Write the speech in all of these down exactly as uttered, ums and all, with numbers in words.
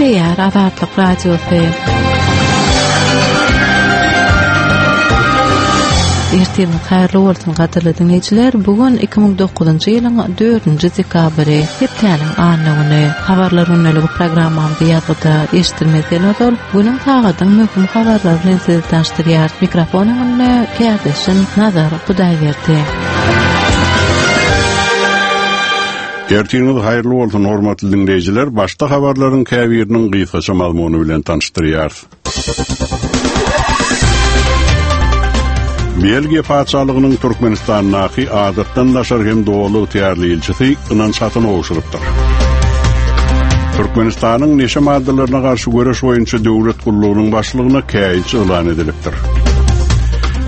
Gepleýär Azatlyk Radiosy. Ertiriňiz haýyrly bolsun gadyrly diňleýjiler. Bu gün iki müň dokuzynjy ýylyň dördünji dekabry, hepdäniň anna güni. Habarlar gündeligi programmamyzy ýazgyda eşitdirmezden ozal, günüň sagadyň möhüm habarlary bilen sizi tanyşdyrýar. Mikrofon öňünde kärdeşim Nazar Hudaýberdi. Ertiriňiz haýyrly bolsun hormatly diňleýjiler. Başda habarlaryň käbiriniň gysgaça mazmuny bilen tanyşdyrýarys. Belgiýa patyşalygynyň Türkmenistandaky adatdan daşary hem doly ygtyýarly ilçisi ynanç hatyny gowşurypdyr. Türkmenistanyň neşe maddalaryna garşy göreş boýunça döwlet gullugynyň başlygyna käýinç yglan edilipdir.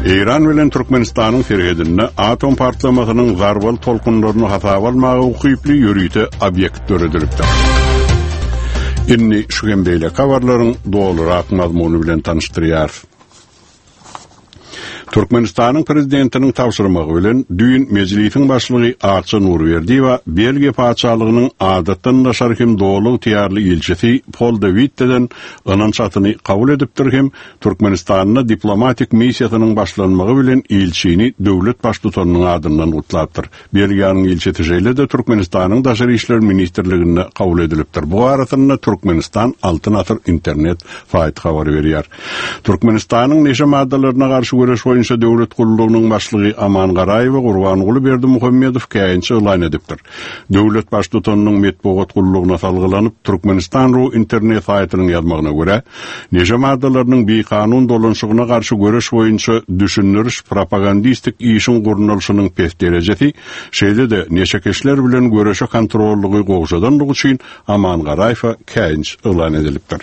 Eýran bilen Türkmenistanyň serhedinde atom partlamasynyň zarbaly tolkunlaryny hasaba almaga ukyply ýörite obýekt döredilipdir. Indi şu hem beýleki habarlaryň dolurak mazmuny bilen tanyşdyrýarys. Türkmenistanyň prezidentiniň tabşyrmagy bilen düýn mejlisiň başlygy Akja Nurberdiýewa Belgiýa patyşalygynyň adatdan daşary hem doly ygtyýarly ilçisi Pol de Witteden ynanç hatyny kabul edipdir hem Türkmenistanda diplomatik missiýasynyň başlanmagy bilen ilçini döwlet baştutanynyň adyndan gutlapdyr. Belgiýanyň ilçisi şeýle-de Türkmenistanyň Daşary işler ministrliginde kabul edilipdir. Bu arasynda Türkmenistan Altyn Asyr internet saýty habar berýär. Türkmenistanyň neşe maddalaryna garşy göreş boýunça döwlet gullugynyň başlygy Aman Garaýewa Gurbanguly Berdimuhamedow käýinç yglan edipdir. Döwlet baştutanynyň metbugat gullugyna salgylanyp, Türkmenistan ru internet saýtynyň ýazmagyna görä, neşe maddalarynyň bikanun dolanşygyna garşy göreş boýunça düşündiriş propagandistik işiň gurnalyşynyň pes derejesi, şeýle-de neşekeşler bilen göreşe kontrollygy gowşadanlygy üçin Aman Garaýewa käýinç yglan edilipdir.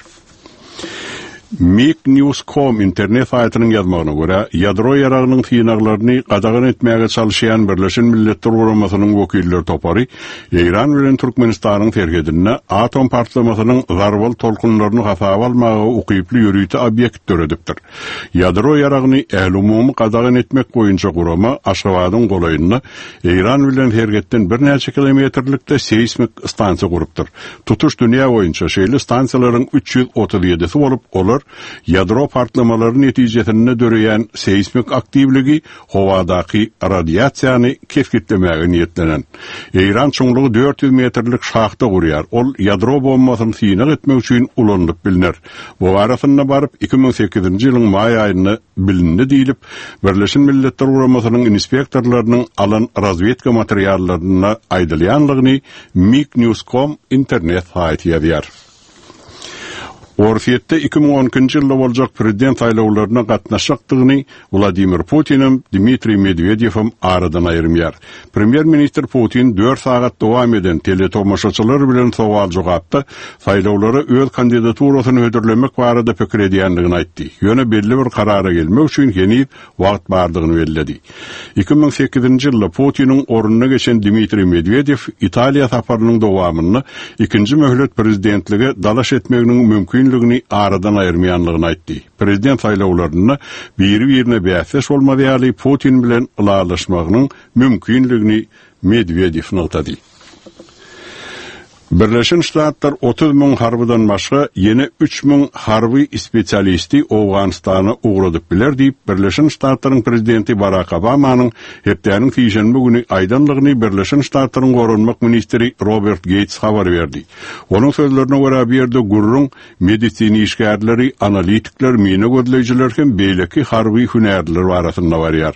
Mik News com internet saýtynyň ýazmagyna görä, ýadro ýaragynyň synaglaryny gadagan etmäge çalyşýan Birleşen Milletler Guramasynyň wekiller topary Eýran bilen Türkmenistanyň serhedinde atom partlamasynyň zarbaly tolkunlaryny hasaba almaga ukyply ýörite obýekt döredipdir. Ýadro ýaragyny ählumumy gadagan etmek boýunça gurama Aşgabadyň golaýynda Eýran bilen serhetden birnäçe kilometrlikde seýsmik stansiýa gurupdyr. Tutuş dünýä boýunça şeýle stansiýalaryň üç ýüz otuz ýedisi bolup, olar ýadro partlamalary netijesinde döreýän seýsmik aktiwligi howadaky radiasiýany kesgitlemäge niýetlenen. Eýran çuňlugy dört ýüz metrlik şahta gurýar. Ol ýadro bombasyny synag etmek üçin ulanylyp bilner. Bu arasynda baryp iki müň sekizinji ýylyň maý aýynda bilindi diýlip, Birleşen Milletler Guramasynyň inspektorlarynyň alan razwedka materiallarynda aýdylýanlygyny Mik News com internet saýty ýazýar. Orsýetde iki müň on ikinji ýylda boljak prezident saýlawlaryna gatnaşjakdygyny Wladimir Putinem, Dmitriý Medwedewem aradan aýyrmaýar. Premýer-ministr Putin dört sagat dowam eden teletomaşaçylar bilen sowal-jogapda saýlawlara öz kandidaturasyny hödürlemek barada pikir edýändigini aýtdy. Ýöne belli bir karara gelmek üçin heniz wagt bardygyny belledi. Iki müň sekizinji ýylda Putiniň ornuna geçen Dmitriý Medwedew Italiýa saparynyň dowamynda ikinji möhlet prezidentlige dalaş etmeginiň mümkinligini aradan aýyrmaýanlygyny aýtdy. Prezident saýlawlarynda biri-birine bäsdeş bolmaz ýaly Putin bilen ylalaşmagynyň mümkinligini Medwedew nygtady. Birleşen Ştatlar otuz müň harbydan başga ýene üç müň harby spesialisti Owganystana ugradyp biler diýip, Birleşen Ştatlaryň prezidenti Barak Obamanyň hepdäniň sişenbe güni aýdanlygyny Birleşen Ştatlaryň goranmak ministri Robert Geýts habar berdi. Onuň sözlerine görä, bu ýerde gürrüň medisina işgärleri, analitikler, mina gözleýjiler hem beýleki harby hünärliler barasynda barýar.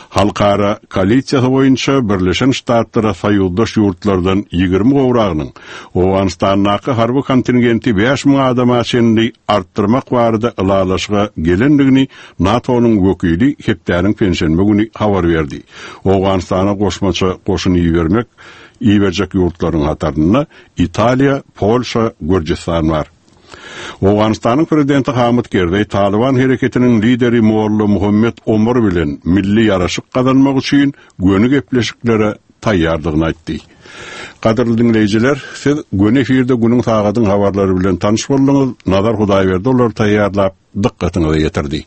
Halkara koalisiýasy boýunça Birleşen Ştatlara soýuzdaş ýurtlardan ýigrimi gowragynyň Owganystandaky harby kontingenti bäş müň adama çenli artdyrmak barada ylalaşyga gelendigini NATO-nyň wekili hepdäniň penşenbe güni habar berdi. Owganystana goşmaça goşun ibermek iberjek ýurtlaryň hatarynda Italiýa, Polşa, Gürjüstan bar. Owganystanyň prezidenti Hamid Kerzeý Taliban hereketiniň lideri Molla Muhammed Omar bilen milli ýaraşyk gazanmak üçin göni gepleşiklere taýýardygyny aýtdy. Gadyrly diňleýjiler, siz göni efirde günüň sagadyň habarlary bilen tanyş bolduňyz. Nazar Hudaýberdi olary taýýarlap dykgatyňyza ýetirdi.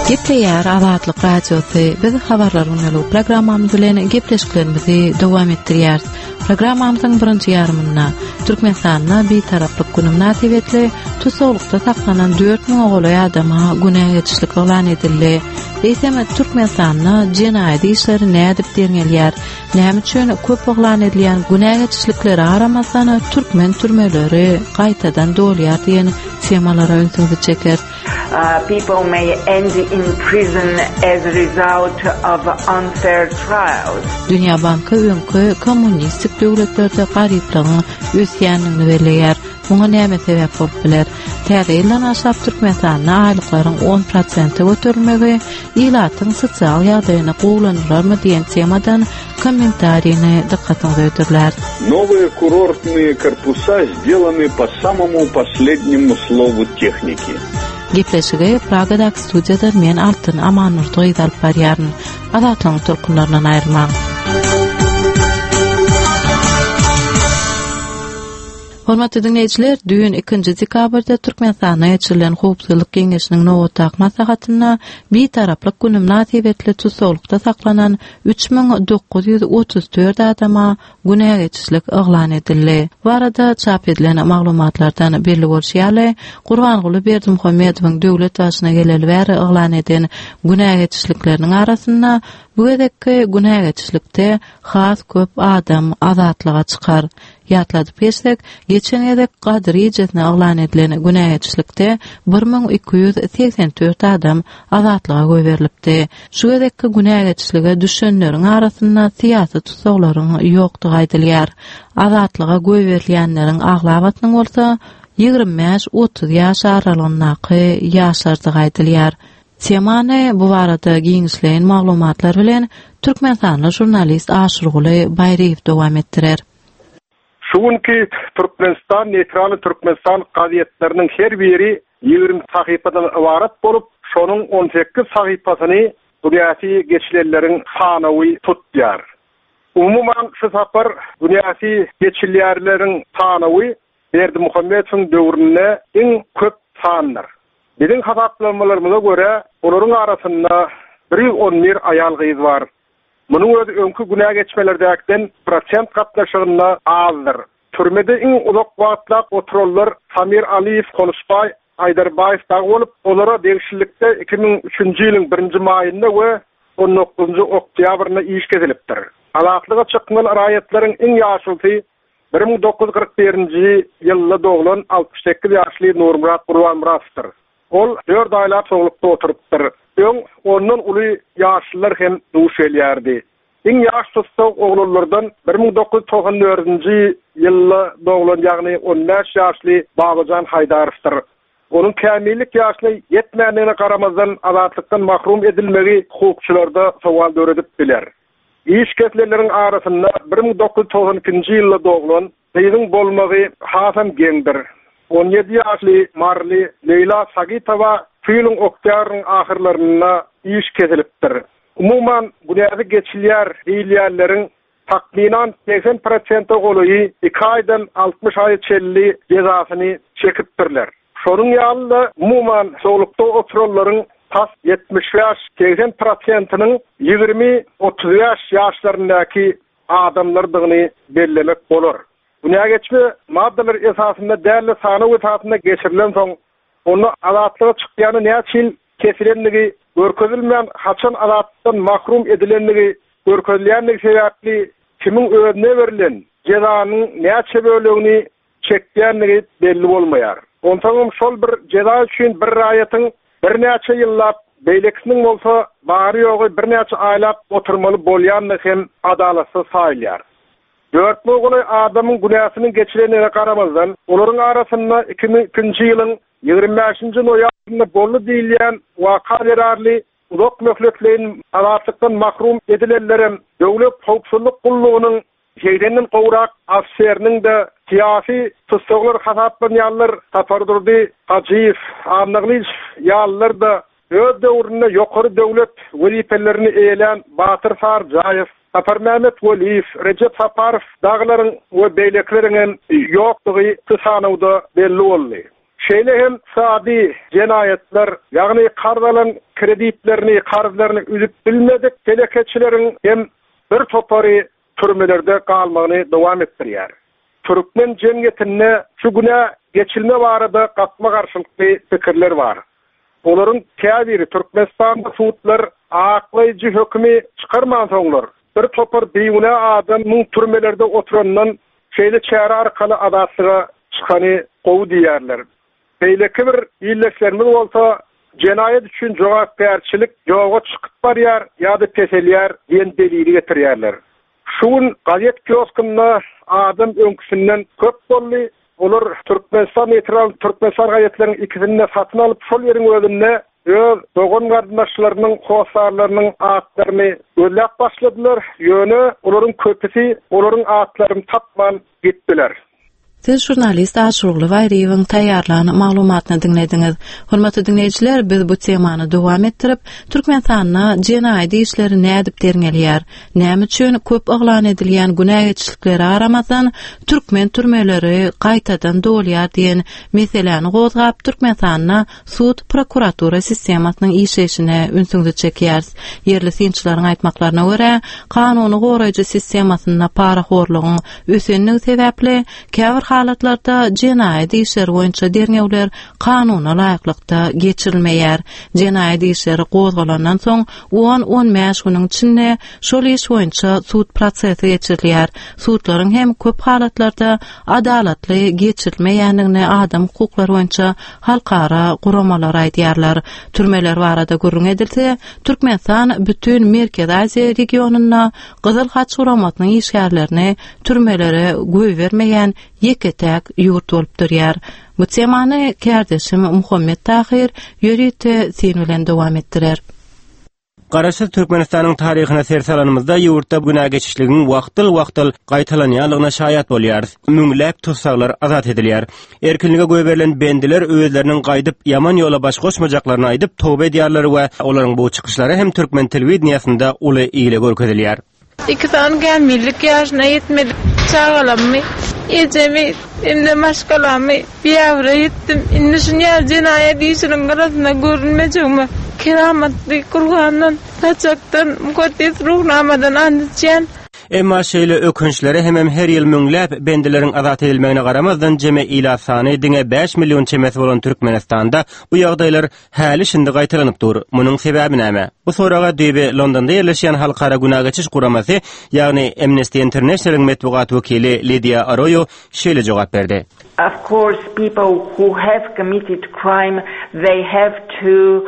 Gepleýär Azatlyk Radiosy. Biz habarlar gündelik programmamyz bilen gepleşiklerimizi dowam etdirýäris. Programmamyzyň birinji ýarymynda Türkmenistanda Bitaraplyk günü mynasybetli tussaglykda saklanan dört müňe golaý adama günä geçişlik yglan edildi. Eýsem Türkmenistanda jenaýat işleri nädip derňelýär? Näme üçin köp yglan edilýän günä geçişliklere garamazdan türkmen türmeleri gaýtadan dolýar diýen temalara ünsüňizi çeker. Uh, people may end in prison as a result of unfair trials. Dünýä Banky öňki kommunistik döwletlerde garyplygyň ösýändigini belleýär. Muňa näme sebäp bolup biler? Täze ýyldan başlap Türkmenistanda aýlyklaryň on prosente göterilmegi ilatyň sosial ýagdaýyny gowulandyrarmy diýen temadan kommentarini dykgatyňyza hödürlär. Новые курортные корпуса сделаны по самому последнему слову техники. Gepleşigi Pragadaky studiýada men Altyn Amanurdy alyp barýaryn. Azatlygyň tolkunlaryndan aýrylmaň. Hormatly dinleýjiler, düýn ikinji dekabrda Türkmenistanda geçirilen Howpsuzlyk Geňeşiniň nobatdaky maslahatynda Bitaraplyk günü mynasybetli tussaglykda saklanan üç müň dokuz ýüz otuz dört adama günä geçişlik yglan edildi. Bu arada çap edilen maglumatlardan belli bolşy ýaly, Gurbanguly Berdimuhamedowyň döwlet başyna geleli bäri yglan eden günä geçişlikleriniň arasynda bu gezekki günä geçişlikde has köp adam azatlyga çykar. Ýatladyp geçsek, geçen gezek Gadyr gijesine yglan edilen günä geçişlikde bir müň iki ýüz segsen dört adam azatlyga goýberilipdi. Şu gezekki günä geçişlige düşenleriň arasynda syýasy tussaglaryň ýokdugy aýdylýar. Azatlyga goýberilýänleriň aglabasynyň bolsa ýigrimi bäş otuz ýaş aralygyndaky ýaşlardygy aýdylýar. Temany bu barada giňişleýin maglumatlar bilen Türkmenistanly jurnalist Aşyrguly Baýryýew dowam etdirer. Şu günki Türkmenistan neytraly Türkmenistan gazetleriniň her biri ýigrimi sahypadan ybarat bolup, şonuň on sekiz sahypasyny günäsi geçilenleriň sanawy tutýar. Umuman şu sapar günäsi geçilýärleriň sanawy Berdimuhamedowyň döwründe iň köp sandyr. Biziň hasaplamalarymyza görä, olaryň arasynda bir ýüz on bir aýal gyz bar. Munuň özi öňki günä geçmelerdäkden prosent gatnaşygynda azdyr. Türmede iň uzak wagtlap oturanlar Samir Aliýew, Konuşbaý, Aýdarbaýew dagy bolup, olara degişlilikde iki müň üçünji ýylyň birinji maýynda we on dokuzynjy oktýabrynda iş kesilipdir. Azatlyga çykmaly raýatlaryň iň ýaşlysy bir müň dokuz ýüz kyrk birinji ýylda doglan altmyş sekiz ýaşly Nurmyrat Gurbanmyratowdyr. Ol dört aýlap soglukda oturypdyr. Öň ondan uly ýaşlylar hem duş gelýärdi. Iň ýaş tussag oglanlardan bir müň dokuz ýüz togsan dördünji ýylda doglan, ýagny on bäş ýaşly Babajan Haýdarowdyr. Onuň kämillik ýaşyna ýetmändigine garamazdan azatlykdan mahrum edilmegi hukukçylarda sowal döredip biler. Iş kesilenleriň arasynda bir müň dokuz ýüz togsan ikinji ýylda doglan gyzyň bolmagy hasam geňdir. On ýedi ýaşly Marli Leýla Sagitowa şu ýylyň oktýabryň ahyrlarynda iş kesilipdir. Umuman günäsi geçilýär diýilýänleriň takmynan seksen prosente golaýy iki aýdan altmyş aý çenli jezasyny çekipdirler. Şonuň ýaly-da umuman soglukda oturanlaryň tas ýetmiş bäş seksen prosentiniň ýigrimi otuz bäş ýaşlaryndaky adamlardygyny bellemek bolar. Günä geçme maddalar esasynda däl sanaw esasynda geçirilen soň onda azatlyga çykýany näçe ýyl kesilendigi görkezilmän haçan azatlykdan mahrum edilendigi görkezilýändigi sebäpli kimiň özüne berlen jezanyň näçe bölegini çekýändigi belli bolmaýar. Onsoňam şol bir jeza üçin bir raýatyň birnäçe ýyllap, beýlekisiniň bolsa bary ýogy birnäçe aýlap oturmaly bolýandygy hem adalatsyz saýylýar. Dört müň golaý adamyň günäsiniň geçilendigine garamazdan, olaryň arasynda iki müň ikinji ýylyň ýigrimi bäşinji noýabrynda boldy diýilýän waka zerarly uzak möhletleýin azatlykdan mahrum edilenlerem döwlet howpsuzlyk gullugynyň segsenden gowrak ofiseriniň de syýasy tussaglar hasaplanýanlar Sapardurdy Hajyýew, Annagylyç ýalylar da öz döwründe ýokary döwlet wezipelerini eýelän Batyr Sarjaýew, Saparmämmet Weliýew, Rejep Saparow daglaryň we beýlekileriň hem ýokdugy sanawda belli boldy. Şeýle hem ykdysady jenaýatlar, ýagny karz alan kreditlerini, karzlaryny üzüp bilmedik telekeçileriň hem bir topary türmelerde galmagyny dowam etdirýär. Türkmen jemgyýetinde şu günä geçilme barada gatma garşylykly pikirler bar. Olaryň käbiri Türkmenistanda sudlar aklaýjy hökümi çykarman soňlar bir topar bigünä adamyň türmelerde oturandan şeýle çäre arkaly azatlyga çykany gowy diýerler. Beýleki bir illeşlerimiz bolsa jenaýat üçin jogapkärçilik ýoga çykyp barýar ýa-da peselýär diýen delili getirýärler. Şu gün gazet kioskunda adam öňküsinden köp boldy. Olar Türkmenistan neytral Türkmenistan gazetleriniň ikisini satyn alyp şol ýeriň özünde öz dogan garyndaşlarynyň, hosarlarynyň atlaryny gözläp başladylar. Ýöne olaryň köpüsi olaryň atlaryny tapman gitdiler. Siz jurnalist Aşurgly Baýryýewiň taýýarlan maglumatyny diňlediňiz. Hormatly diňleýjiler, biz bu temany dowam etdirip, Türkmenistanda jenaýat işleri nädip derňelýär? Näme üçin köp yglan edilýän günä geçişliklere garamazdan türkmen türmeleri gaýtadan dolýar diýen meseläni gozgap, Türkmenistanda sud prokuratura sistemasynyň işleýşine ünsüňizi çekýäris. Ýerli synçylaryň aýtmaklaryna görä, kanuny goraýjy sistemasynda parahorlugyň ösenligi sebäpli käbir halatlarda jenaýat işleri boýunça derňewler kanuna laýyklykda geçirilmeýär. Jenaýat işleri gozgalandan soň on on bäş günüň içinde şol iş boýunça sud prosesi geçirilýär. Sudlaryň hem köp halatlarda adalatly geçirilmeýändigini adam hukuklary boýunça halkara guramalar aýdýarlar. Türmeler barada gürrüň edilse, Türkmenistan bütün Merkezi Aziýa regionynda Gyzyl Haç guramasynyň işgärlerini türmelere goýbermeýän ýeke-täk ýurt bolup durýar. Bu temany kärdeşim Muhammet Tahir ýörite sen bilen dowam etdirer. Garaşsyz Türkmenistanyň taryhyna ser salanymyzda ýurtda günä geçişligiň wagtyl-wagtyl gaýtalanýanlygyna şaýat bolýarys. Müňläp tussaglar azat edilýär. Erkinlige goýberilen bendiler özleriniň gaýdyp ýaman ýola baş goşmajaklaryny aýdyp towbe edýärler we olaryň bu çykyşlary hem türkmen telewideniýasynda uly ile görkezilýär. Iki sany gämilik ýaşyna ýetmedik çagalammy, ejemi, hem-de maşgalamy biýawra ýetdim. Indi şuny jenaýat işiniň gyrasynda görünmejegime keramatly Kur'andan, saçakdan, mukaddes ruhnamadan and içýän. Emma şeýle ökünçlere hemem her ýyl müňläp bendileriň azat edilmegine garamazdan jeme ilat sany diňe bäş million çemesi bolan Türkmenistanda bu ýagdaýlar häli şindi gaýtalanyp dur. Munuň sebäbi näme? Bu soraga düýbi Londonda ýerleşýän Halkara Günä Geçiş Guramasy, ýagny Amnesty Internationalyň metbugat wekili Lidiýa Arroyo şeýle jogap berdi. Of course, people who have committed crime, they have to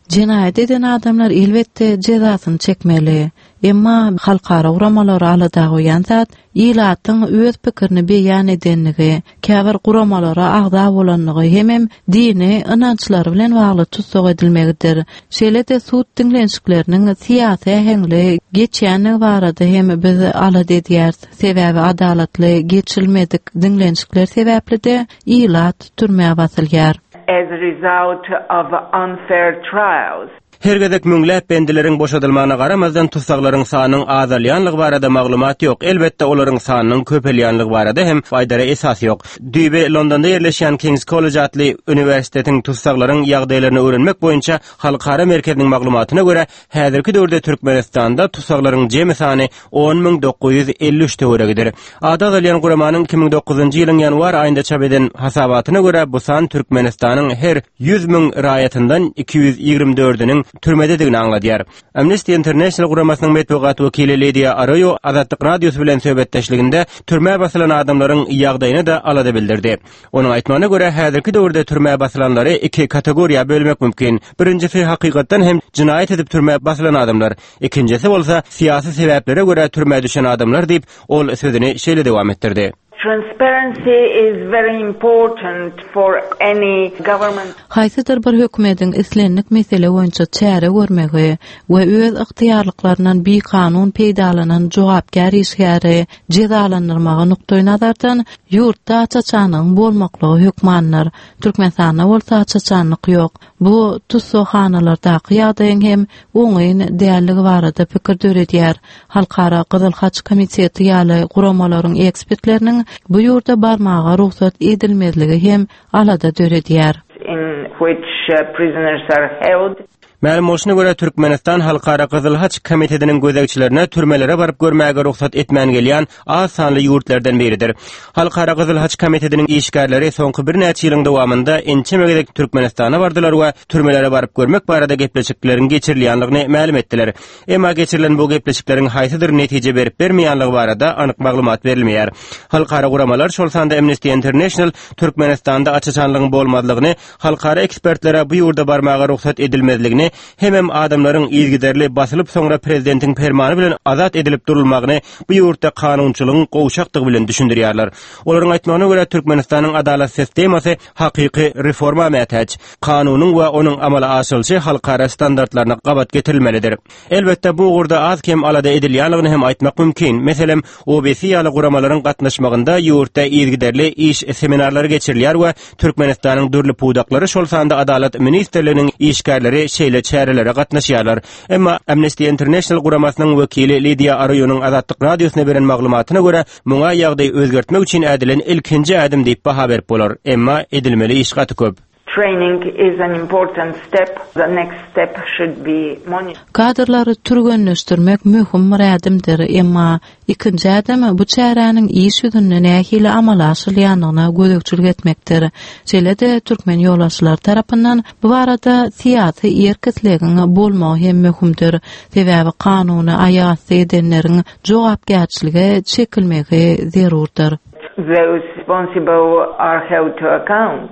Jenaýat eden adamlar elbetde jezasyny çekmeli. Emma halkara guramalary alada goýan zat ilatyň öz pikirini beýan edenligi, käbir guramalara agza bolanlygy hemem dini ynançlary bilen bagly tussag edilmegidir. Şeýle-de sud diňlenişikleriniň syýasy äheňli geçýänligi barada hem biz alada edýäris. Sebäbi adalatly geçilmedik diňlenişikler sebäpli-de ilat türmä basylýar. As a result of unfair trials. Her gezek müňläp bendileriň boşadylmagyna garamazdan tussaglaryň sanynyň azalýanlygy barada maglumat ýok. Elbetde olaryň sanynyň köpelýänligi barada hem aýdara esas ýok. Düýbi Londonda ýerleşýän King's College atly uniwersitetiň tussaglaryň ýagdaýlaryny öwrenmek boýunça halkara merkeziniň maglumatyna görä, häzirki döwürde Türkmenistanda tussaglaryň jemi sany on müň dokuz ýüz elli üç töweregidir. Ady agzalýan guramanyň iki müň dokuzynjy ýylyň ýanwar aýynda çap eden hasabatyna görä, bu san Türkmenistanyň her ýüz müň raýatyndan iki ýüz ýigrimi dördüniň türmededigini aňladýar. Amnesty International guramasynyň metbugat wekili Lidiýa Arroyo Azatlyk Radiosy bilen söhbetdeşliginde türmä basylan adamlaryň ýagdaýyny da alada bildirdi. Onuň aýtmagyna görä, häzirki döwürde türmä basylanlary iki kategoriýa bölmek mümkin. Birincisi hakykatdan hem jinaýat edip türmä basylan adamlar, ikincisi bolsa syýasy sebäplere görä türmä düşen adamlar diýip, ol sözüni şeýle dowam etdirdi. Transparency is very important for any government. Haýsydyr bir hökümetiň islendik mesele boýunça çäre görmegi we öz ygtyýarlyklaryndan bikanun peýdalanan jogapkär işgäri jezalandyrmagy nukdaý nazardan ýurtda aç-açanlygyň bolmaklygy hökmandyr. Türkmenistanda bolsa aç-açanlyk ýok. Bu tussaghanalardaky ýagdaýyň hem oňyn dälligi barada pikir döredýär. Halkara Gyzyl Haç Komiteti ýaly guramalaryň ekspertleriniň bu ýurda barmaga rugsat edilmezligi hem alada döredýär. In which uh, prisoners are held. Mälim bolşuna görä, Türkmenistan Halkara Gyzyl Haç Komitetiniň gözegçilerine türmelere baryp görmäge rugsat etmän gelýän az sanly ýurtlardan biridir. Halkara Gyzyl Haç Komitetiniň işgärleri soňky birnäçe ýylyň dowamynda ençeme gezek Türkmenistana bardylar we türmelere baryp görmek barada gepleşikleriň geçirilýändigini mälim etdiler. Emma geçirilen bu gepleşikleriň haýsydyr netije berip bermeýänligi barada anyk maglumat berilmeýär. Halkara guramalar, şol sanda Amnesty International Türkmenistanda aç-açanlygyň bolmazlygyny, halkara ekspertlere bu ýurda barmaga rugsat edilmezligini, hemem adamlaryň yzygiderli basylyp soňra prezidentiň permany bilen azat edilip durulmagyny bu ýurtda kanunçylygyň gowşakdygy bilen düşündirýärler. Olaryň aýtmagyna görä, Türkmenistanyň adalat sistemasy hakyky reforma mätäç. Kanunyň we onuň amala aşyrylyşy halkara standartlaryna gabat getirilmelidir. Elbetde bu ugurda az kem alada edilýänligini hem aýtmak mümkin. Meselem, O B S ýaly guramalaryň gatnaşmagynda ýurtda yzygiderli iş seminarlary geçirilýär we Türkmenistanyň dürli pudaklary, şol sanda Adalat ministrliginiň işgärleri şeýle çärelere gatnaşýarlar. Emma Amnesty International guramasynyň wekili Lidiýa Aroýonyň Azatlyk radiosyna beren maglumatyna görä, muňa ýagdaý özgertmek üçin ädilen ilkinji ädim diýip baha berip bolar. Emma edilmeli iş gaty köp. Training is an important step. The next step should be monitoring. Kadrlary türgenleşdirmek möhüm bir ädimdir, emma ikinji ädim bu çäräniň iş ýüzünde nähili amala aşyrylýandygyna gözegçilik etmekdir. Şeýle-de türkmen ýolbaşçylary tarapyndan bu barada syýasy erk-islegiň bolmagy hem möhümdir. Sebäbi kanuny aýak edenleriň jogapkärçilige çekilmegi zerurdyr. Those responsible are held to account.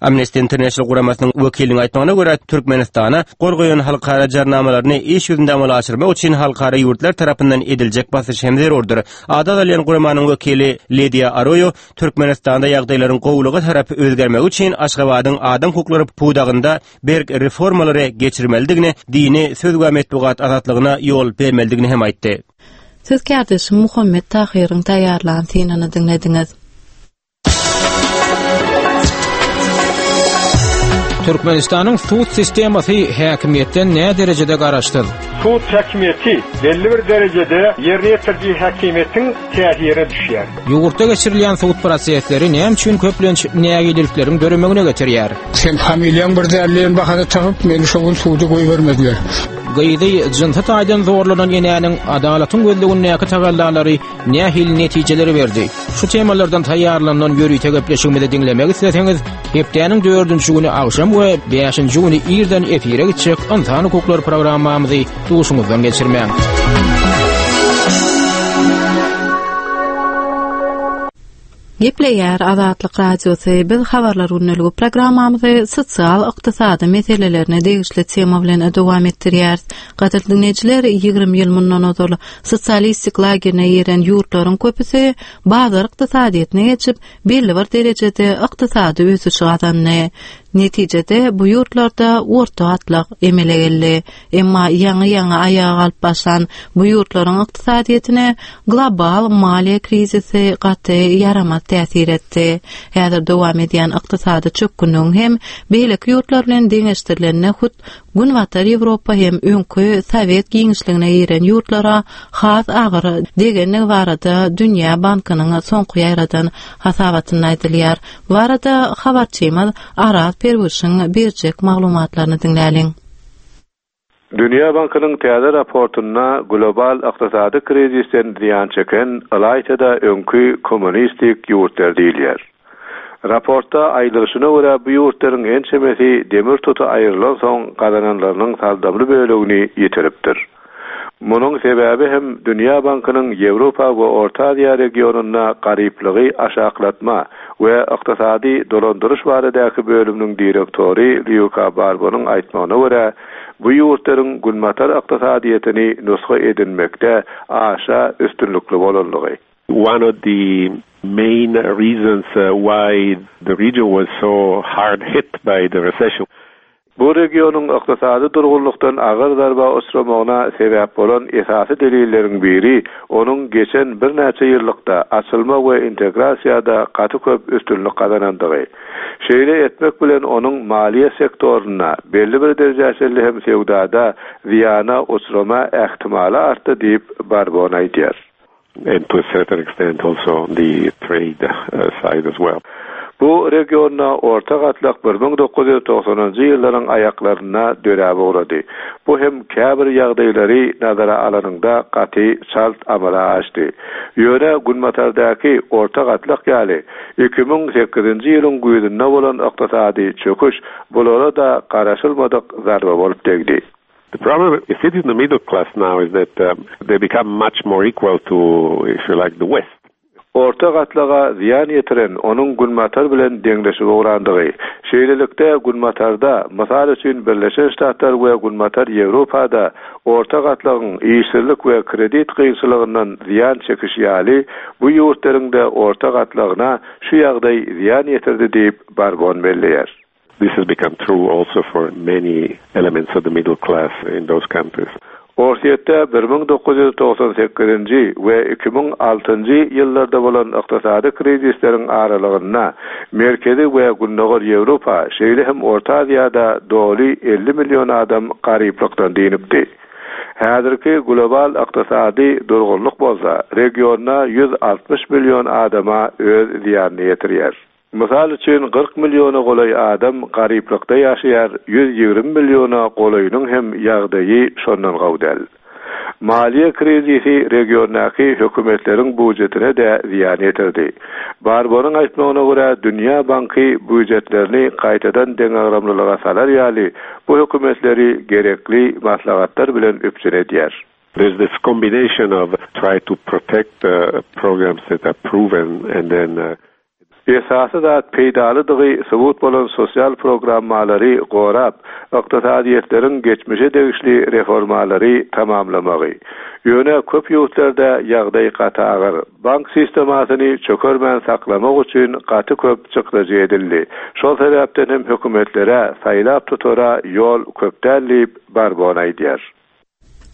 Amnesty International guramasynyň wekiliniň aýtmagyna görä, Türkmenistana gol goýan halkara jarnamalaryny iş ýüzünde amala aşyrmak üçin halkara ýurtlar tarapyndan ediljek basyş hem zerurdyr. Ady agzalýan guramanyň wekili Lidiýa Aroýo Türkmenistanda ýagdaýlaryň gowulyga tarap özgermegi üçin Aşgabadyň adam hukuklary pudagynda berk reformalary geçirmelidigini, dini, söz we metbugat azatlygyna ýol bermelidigini hem aýtdy. Siz kärdeşim Muhammet Tahyryň taýýarlan synyny diňlediňiz. Türkmenistanyň sud sistemasy häkimiýetden nä derejede garaşsyz? Sud häkimiýeti belli bir derejede ýerine ýetiriji häkimiýetiň täsirine düşýär. Ýurtda geçirilýän sud prosesleri näme üçin köplenç nägilelikleriň döremegine getirýär? Sen familiýaň bir dälleýän bahana tapyp, meni şo gün suda goýbermediler. Gyzy jynsy taýdan zorlanan enäniň adalatyň gözlegindäki tagallalary nähili netijeleri berdi? Şu temalardan taýýarlanan ýörite gepleşigimizi diňlemek isleseňiz, hepdäniň dördünji güni agşam we bäşinji güni irden efire gitjek Ynsan hukuklary programmamyzy duşuňyzdan geçirmäň. Gepleýär Azatlyk Radiosy. Biz habarlar gündeligi programmamyzy sosial ykdysady meselelerine degişli tema bilen dowam etdirýäris. Gadyrly dinleýjiler, ýigrimi ýyl mundan ozal sosialistik lagerine giren ýurtlaryň köpüsi bazar ykdysadyýetine geçip, belli bir derejede ykdysady ösüş gazandy. Netijede bu ýurtlarda orta gatlak emele geldi. Emma ýaňy-ýaňy aýaga galyp başlan bu ýurtlaryň ykdysadyýetine global maliýe krizisi gaty ýaramaz täsir etdi. Häzir dowam edýän ykdysady çökgünligiň hem beýleki ýurtlar bilen deňeşdirilende hut Günbatar Ýewropa hem öňki Sowet giňişligine giren ýurtlara has agyr degenligi barada Dünýä Bankynyň soňky ýaýradan hasabatynda aýdylýar. Bu barada habarçymyz Araz Perwişiň berjek maglumatlaryny diňläliň. Dünýä Bankynyň täze raportynda global ykdysady krizisden zyýan çeken ylaýta-da öňki kommunistik ýurtlar diýilýär. Raportda aýdylyşyna görä, bu ýurtlaryň ençemesi demir tuty aýrylan soň gazananlarynyň saldamly bölegini ýitiripdir. Munuň sebäbi hem Dünýä Bankynyň Ýewropa we Orta Aziýa regionynda garyplygy aşaklatma we ykdysady dolandyryş baradaky bölüminiň direktory Lýuka Barbonyň aýtmagyna görä, bu ýurtlaryň günbatar ykdysadyýetini nusga edinmekde aşa üstünlikli bolanlygy. One of the main reasons uh, why the region was so hard hit by the recession. Bu regionyň ykdysady durgunlykdan agyr zarba uçramagyna sebäp bolan esasy delilleriň biri onuň geçen birnäçe ýyllykda açylma we integrasiýada gaty köp üstünlik gazanandygy. Şeýle etmek bilen onuň maliýe sektorynda belli bir derejeli hem söwdada zyýana uçrama ähtimaly artdy diýip Barbon aýdýar. and to a certain extent also the trade uh, side as well. Bu regionda orta gatlak bir müň dokuz ýüz togsanynjy ýyllaryň aýaklarynda döräp ugrady. Bu hem käbir ýagdaýlary nazara alanyňda gaty çalt amala aşdy. Ýöne Günbatardaky orta gatlak ýaly iki müň sekizinji ýylyň güýzünde bolan ykdysady çöküş bulara-da garaşylmadyk zarba bolup degdi. The problem is in the middle class now is that, um, they become much more equal to, if you like, the West. Orta gatlaga zyýan ýetiren onuň Günbatar bilen deňleşip ugrandygy. Şeýlelikde, Günbatarda, mysal üçin Birleşen Ştatlar we Günbatar Ýewropada orta gatlagyň işsizlik we kredit kynçylygyndan zyýan çekişi ýaly, bu ýurtlaryň-da orta gatlagyna şu ýagdaý zyýan ýetirdi diýip, Barbon belleýär. This has become true also for many elements of the middle class in those countries. Orsýetde bir müň dokuz ýüz togsan sekizinji we iki müň altynjy ýyllarda bolan ykdysady krizisleriň aralygynda Merkezi we Gündogar Ýewropa, şeýle hem Orta Aziýada doly elli million adam garyplykdan dynypdy. Häzirki global ykdysady durgunlyk bolsa regionda ýüz altmyş million adama öz zyýanyny ýetirýär. Mysal üçin, kyrk milliona golaý adam garyplykda ýaşaýar, ýüz ýigrimi milliona golaýynyň hem ýagdaýy şondan gowy däl. Maliýe krizisi regiondaky hökümetleriň býujetine-de zyýan ýetirdi. Barbonyň aýtmagyna görä, Dünýä banky býujetlerini gaýtadan deňagramlylyga salar ýaly bu hökümetleri gerekli maslahatlar bilen üpjün edýär. There's this combination of try to protect the programs that are proven and then, uh, Esasy zat peýdalydygy subut bolan sosial programmalary gorap, ykdysadyýetleriň geçmişe degişli reformalary tamamlamagy. Ýöne köp ýurtlarda ýagdaý gaty agyr. Bank sistemasyny çökermän saklamak üçin gaty köp çykdajy edildi. Şol sebäpden hem hökümetlere saýlap tutara ýol köp däl diýip Barbon aýdýar.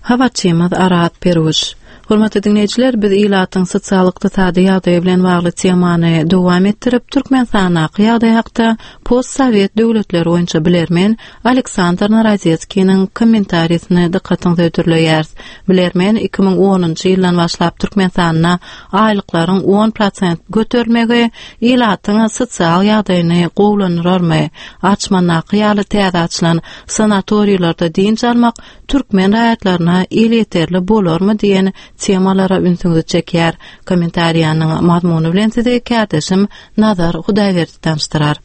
Habarçymyz Arat Peruş. Hormatly dinleýjiler, biz ilatyň sosial-ykdysady ýagdaýy bilen bagly temany dowam etdirip, Türkmenistandaky ýagdaý hakda post-sowet döwletleri boýunça bilermen Aleksandr Narodetskiniň kommentarisini dykgatyňyza hödürleýäris. Bilermen iki müň onunjy ýyldan başlap Türkmenistanda aýlyklaryň on prosent göterilmegi ilatyň sosial ýagdaýyny gowulandyrarmy? Arçmandaky ýaly täze açylan sanatoriýalarda dynç almak türkmen raýatlaryna elýeterli bolarmy diýen temalara ünsüňizi çekýär. Kommentariýanyň mazmuny bilen sizi kärdeşim Nazar Hudaýberdi tanyşdyrar.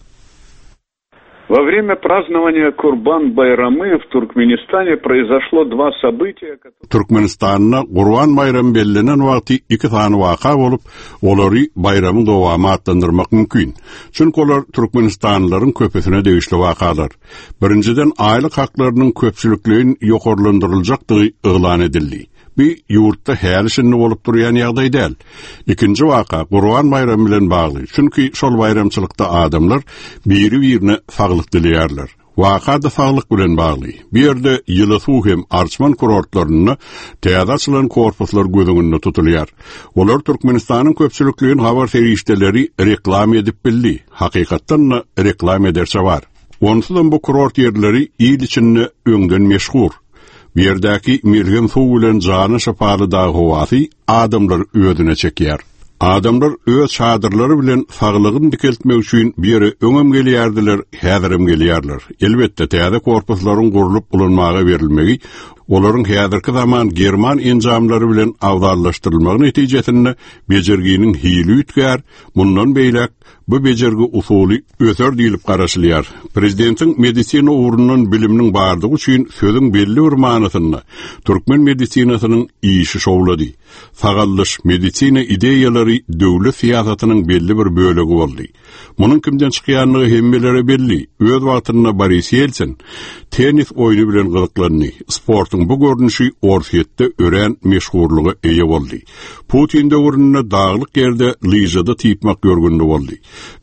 Во время празднования Курбан-Байрамы в Туркменистане произошло два события, которые Türkmenistanda Gurban Baýramy bellenen wagty iki sany waka bolup, olary baýramyň dowamy atlandyrmak mümkin. Çünki olar Türkmenistanlylaryň köpüsine degişli wakalar. Birinjiden aýlyk haklarynyň köpçülikleýin ýokarlandyryljakdygy yglan edildi. Bir ýurtda häli şindi bolup durýan ýagdaý däl. Ikinji waka Gurban Baýramy bilen bagly. Çünki şol baýramçylykda adamlar biri-birine saglyk dileýärler. Waka da saglyk bilen bagly. Bir ýerde ýyly suw hem Arçman kurortlarynda täze açylan korpuslar göz öňünde tutulýar. Olar Türkmenistanyň köpçülikleýin habar serişdeleri reklam edip bildi. Hakykatdan da reklam ederçe bar. Onsuzam bu kurort ýerleri il içinde öňden meşhur. Bu ýerdäki melhem suw bilen jany şypaly dag howasy adamlar özüne çekýär. Adamlar öz çadyrlary bilen saglygyny dikeltmek üçin bir ýere öňem gelýärdiler, häzirem gelýärler. Elbetde täze korpuslaryň gurlup ulanmaga berilmegi, olaryň häzirki zaman german enjamlary bilen awzallaşdyrylmagy netijesinde bejerginiň hili üýtgär, mundan beýläk bu bejergi usuly öser diýilip garaşylýar. Prezidentiň medisina ugrundan biliminiň bardygy üçin sözüň belli bir manasynda türkmen medisinasynyň işi şowlady. Sagallyş medisina ideýalary döwlet syýasatynyň belli bir bölegi boldy. Munuň kimden çykýanlygy hemmelere belli. Öz wagtynda Boris Yeltsin tennis oýny bilen gyzyklandy. Sportuň bu görnüşi Orsýetde örän meşhurlyga eýe boldy. Putin döwründe daglyk ýerde lyžada typmak ýörgünli boldy.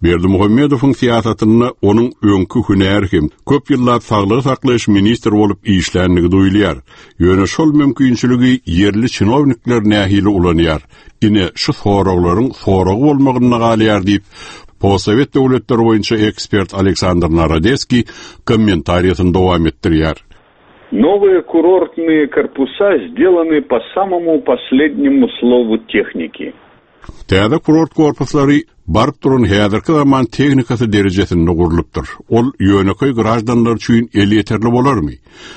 Berdimuhamedowyň syýasatynda onuň öňki hünär hem köp ýyllap saglygy saklaýyş ministri bolup işlänligi duýulýar. Ýöne şol mümkinçiligi ýerli çinownikler nähili ulanýar? Ine şu soraglaryň soragy bolmagynda galýar diýip, Postsovet döwletleri boýunça ekspert Aleksandr Narodetskiý kommentariýasyny dowam etdirýär. Новые курортные корпуса сделаны по самому последнему слову техники. Täze kurort korpuslary baryp duran häzirki zaman tehnikasy derejesinde gurlupdyr. Ol ýönekeý grajdanlar üçin elýeterli bolarmy?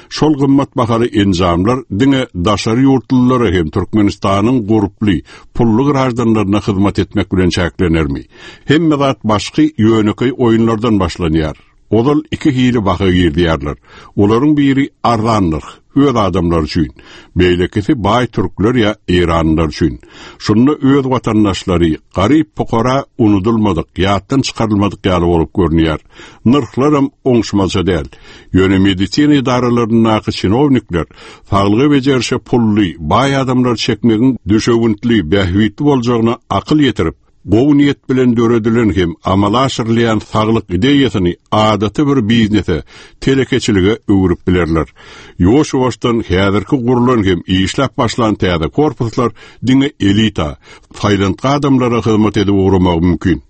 Şol gymmat bahaly enjamlar diňe daşary ýurtlulara hem Türkmenistanyň gurply, pully grajdanlaryna hyzmat etmek bilen çäklenermi? Hemme zat başky ýönekeý oýunlardan başlanýar. Ozal iki hili baha girdiýärler. Olaryň biri arzan nyrh, öz adamlar üçin, beýlekisi baý türkler ýa Eýranlylar üçin. Şunda öz watandaşlary garyp pukara unudulmadyk, ýatdan çykarylmadyk ýaly bolup görünýär. Nyrhlaram oňşmazça däl. Ýöne medisina idaralaryndaky çinownikler saglygy bejerişe pully, baý adamlar çekmegiň düşewüntli, bähbitli boljagyna akyl ýetirip, gowy niýet bilen döredilen hem amala aşyrylýan saglyk ideýasyny adaty bir biznese, telekeçilige öwrüp bilerler. Ýuwaş-ýuwaşdan häzirki gurlan hem işläp başlan täze korpuslar diňe elita, saýlantgy adamlara hyzmat edip ugramagy mümkin.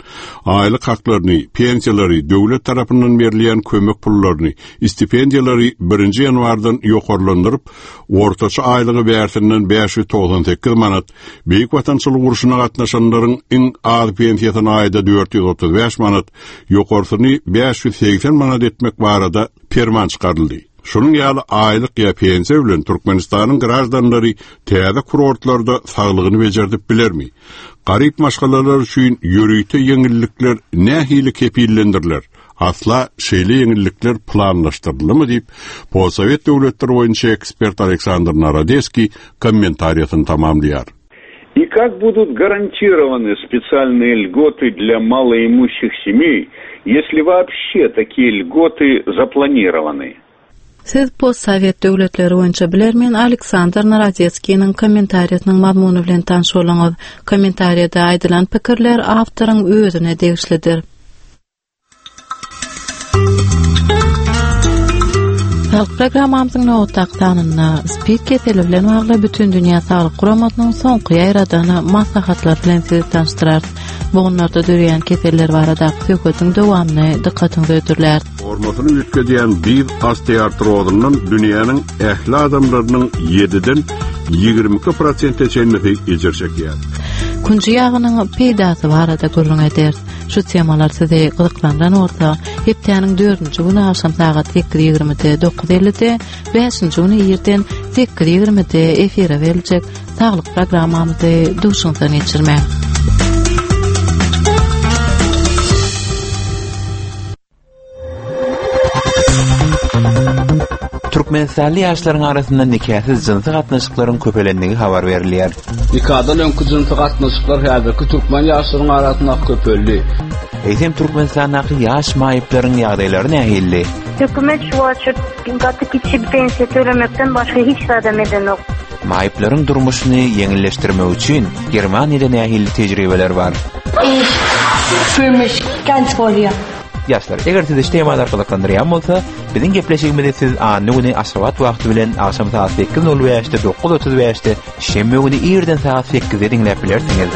Aýlyk haklaryny, pensiýalary, döwlet tarapyndan berilýän kömek pullaryny, stipendiýalary birinji ýanwardan ýokarlandyryp, ortaça aýlygy bärsinden bäş ýüz togsan sekiz manat, Beýik Watançylyk urşuna gatnaşanlaryň iň az pensiýasyny aýda dört ýüz otuz bäş manat, ýokarsyny bäş ýüz segsen manat etmek barada perman çykaryldy. Şunuň ýaly aýlyk ýa pensiýa bilen Türkmenistanyň grajdanlary täze kurortlarda saglygyny becerdip bilermi? Garyp maşgalalar üçin ýörite ýeňillikler nähili kepillendiriler? Asla şeýle ýeňillikler planlaşdyrylmy diýip, Postsowet döwletleri boýunça ekspert Aleksandr Narodeskiý kommentariýasyny tamamlaýar. И как будут гарантированы специальные льготы для малоимущих семей, если вообще такие льготы запланированы? Siz postsowet döwletleri boýunça bilermen Aleksandr Narodetskiniň kommentariýasynyň mazmuny bilen tanyş boluňyz. Kommentariýada aýdylan pikirler awtoryň özüne degişlidir. Saglyk programmamyzyň nobatdaky sanynda SPID keseli bilen bagly Bütindünýä Saglyk Guramasynyň soňky ýaýradan maslahatlary bilen sizi tanyşdyrarys. Bogunlarda döreýän keseller baradaky söhbetiň dowamyny dykgatyňyza hödürläris. Formasyny üýtgedýän diz osteoartrozyndan dünýäniň ähli adamlarynyň ýediden ýigrimi iki prosente çenlisi ejir çekýär. Künji ýagynyň peýdasy barada gürrüň ederis. Şu temalar sizi gyzyklandyran bolsa, hepdäniň dördünji güni agşam sagat sekiz ýigrimide, dokuz ellide, bäşinji güni irden sekiz ýigrimide efire beriljek saglyk programmamyzy duşuňyzdan geçirmäň. Türkmenistanly ýaşlaryň arasynda nikasyz jynsy gatnaşyklaryň köpelendigi habar berilýär. Nikadan öňki jynsy gatnaşyklar häzirki türkmen ýaşlaryň arasynda köpeldi. Eýsem Türkmenistandaky ýaş maýyplaryň ýagdaýlary nähili? Hökümet şu açyp, gaty kiçi pensiýa tölemekden başga hiç zat edenok. Maýyplaryň durmuşyny ýeňilleşdirmek üçin Germaniýada nähili tejribeler bar? Ich fühle mich ganz wohl hier. Ýaşlar, eger sizi şu temalar gyzyklandyrýan bolsa, biziň gepleşigimizi siz anna güni Aşgabat wagty bilen agşam saat sekiz nol bäşde, dokuz otuz bäşde, şenbe güni irden saat sekizde diňläp bilersiňiz.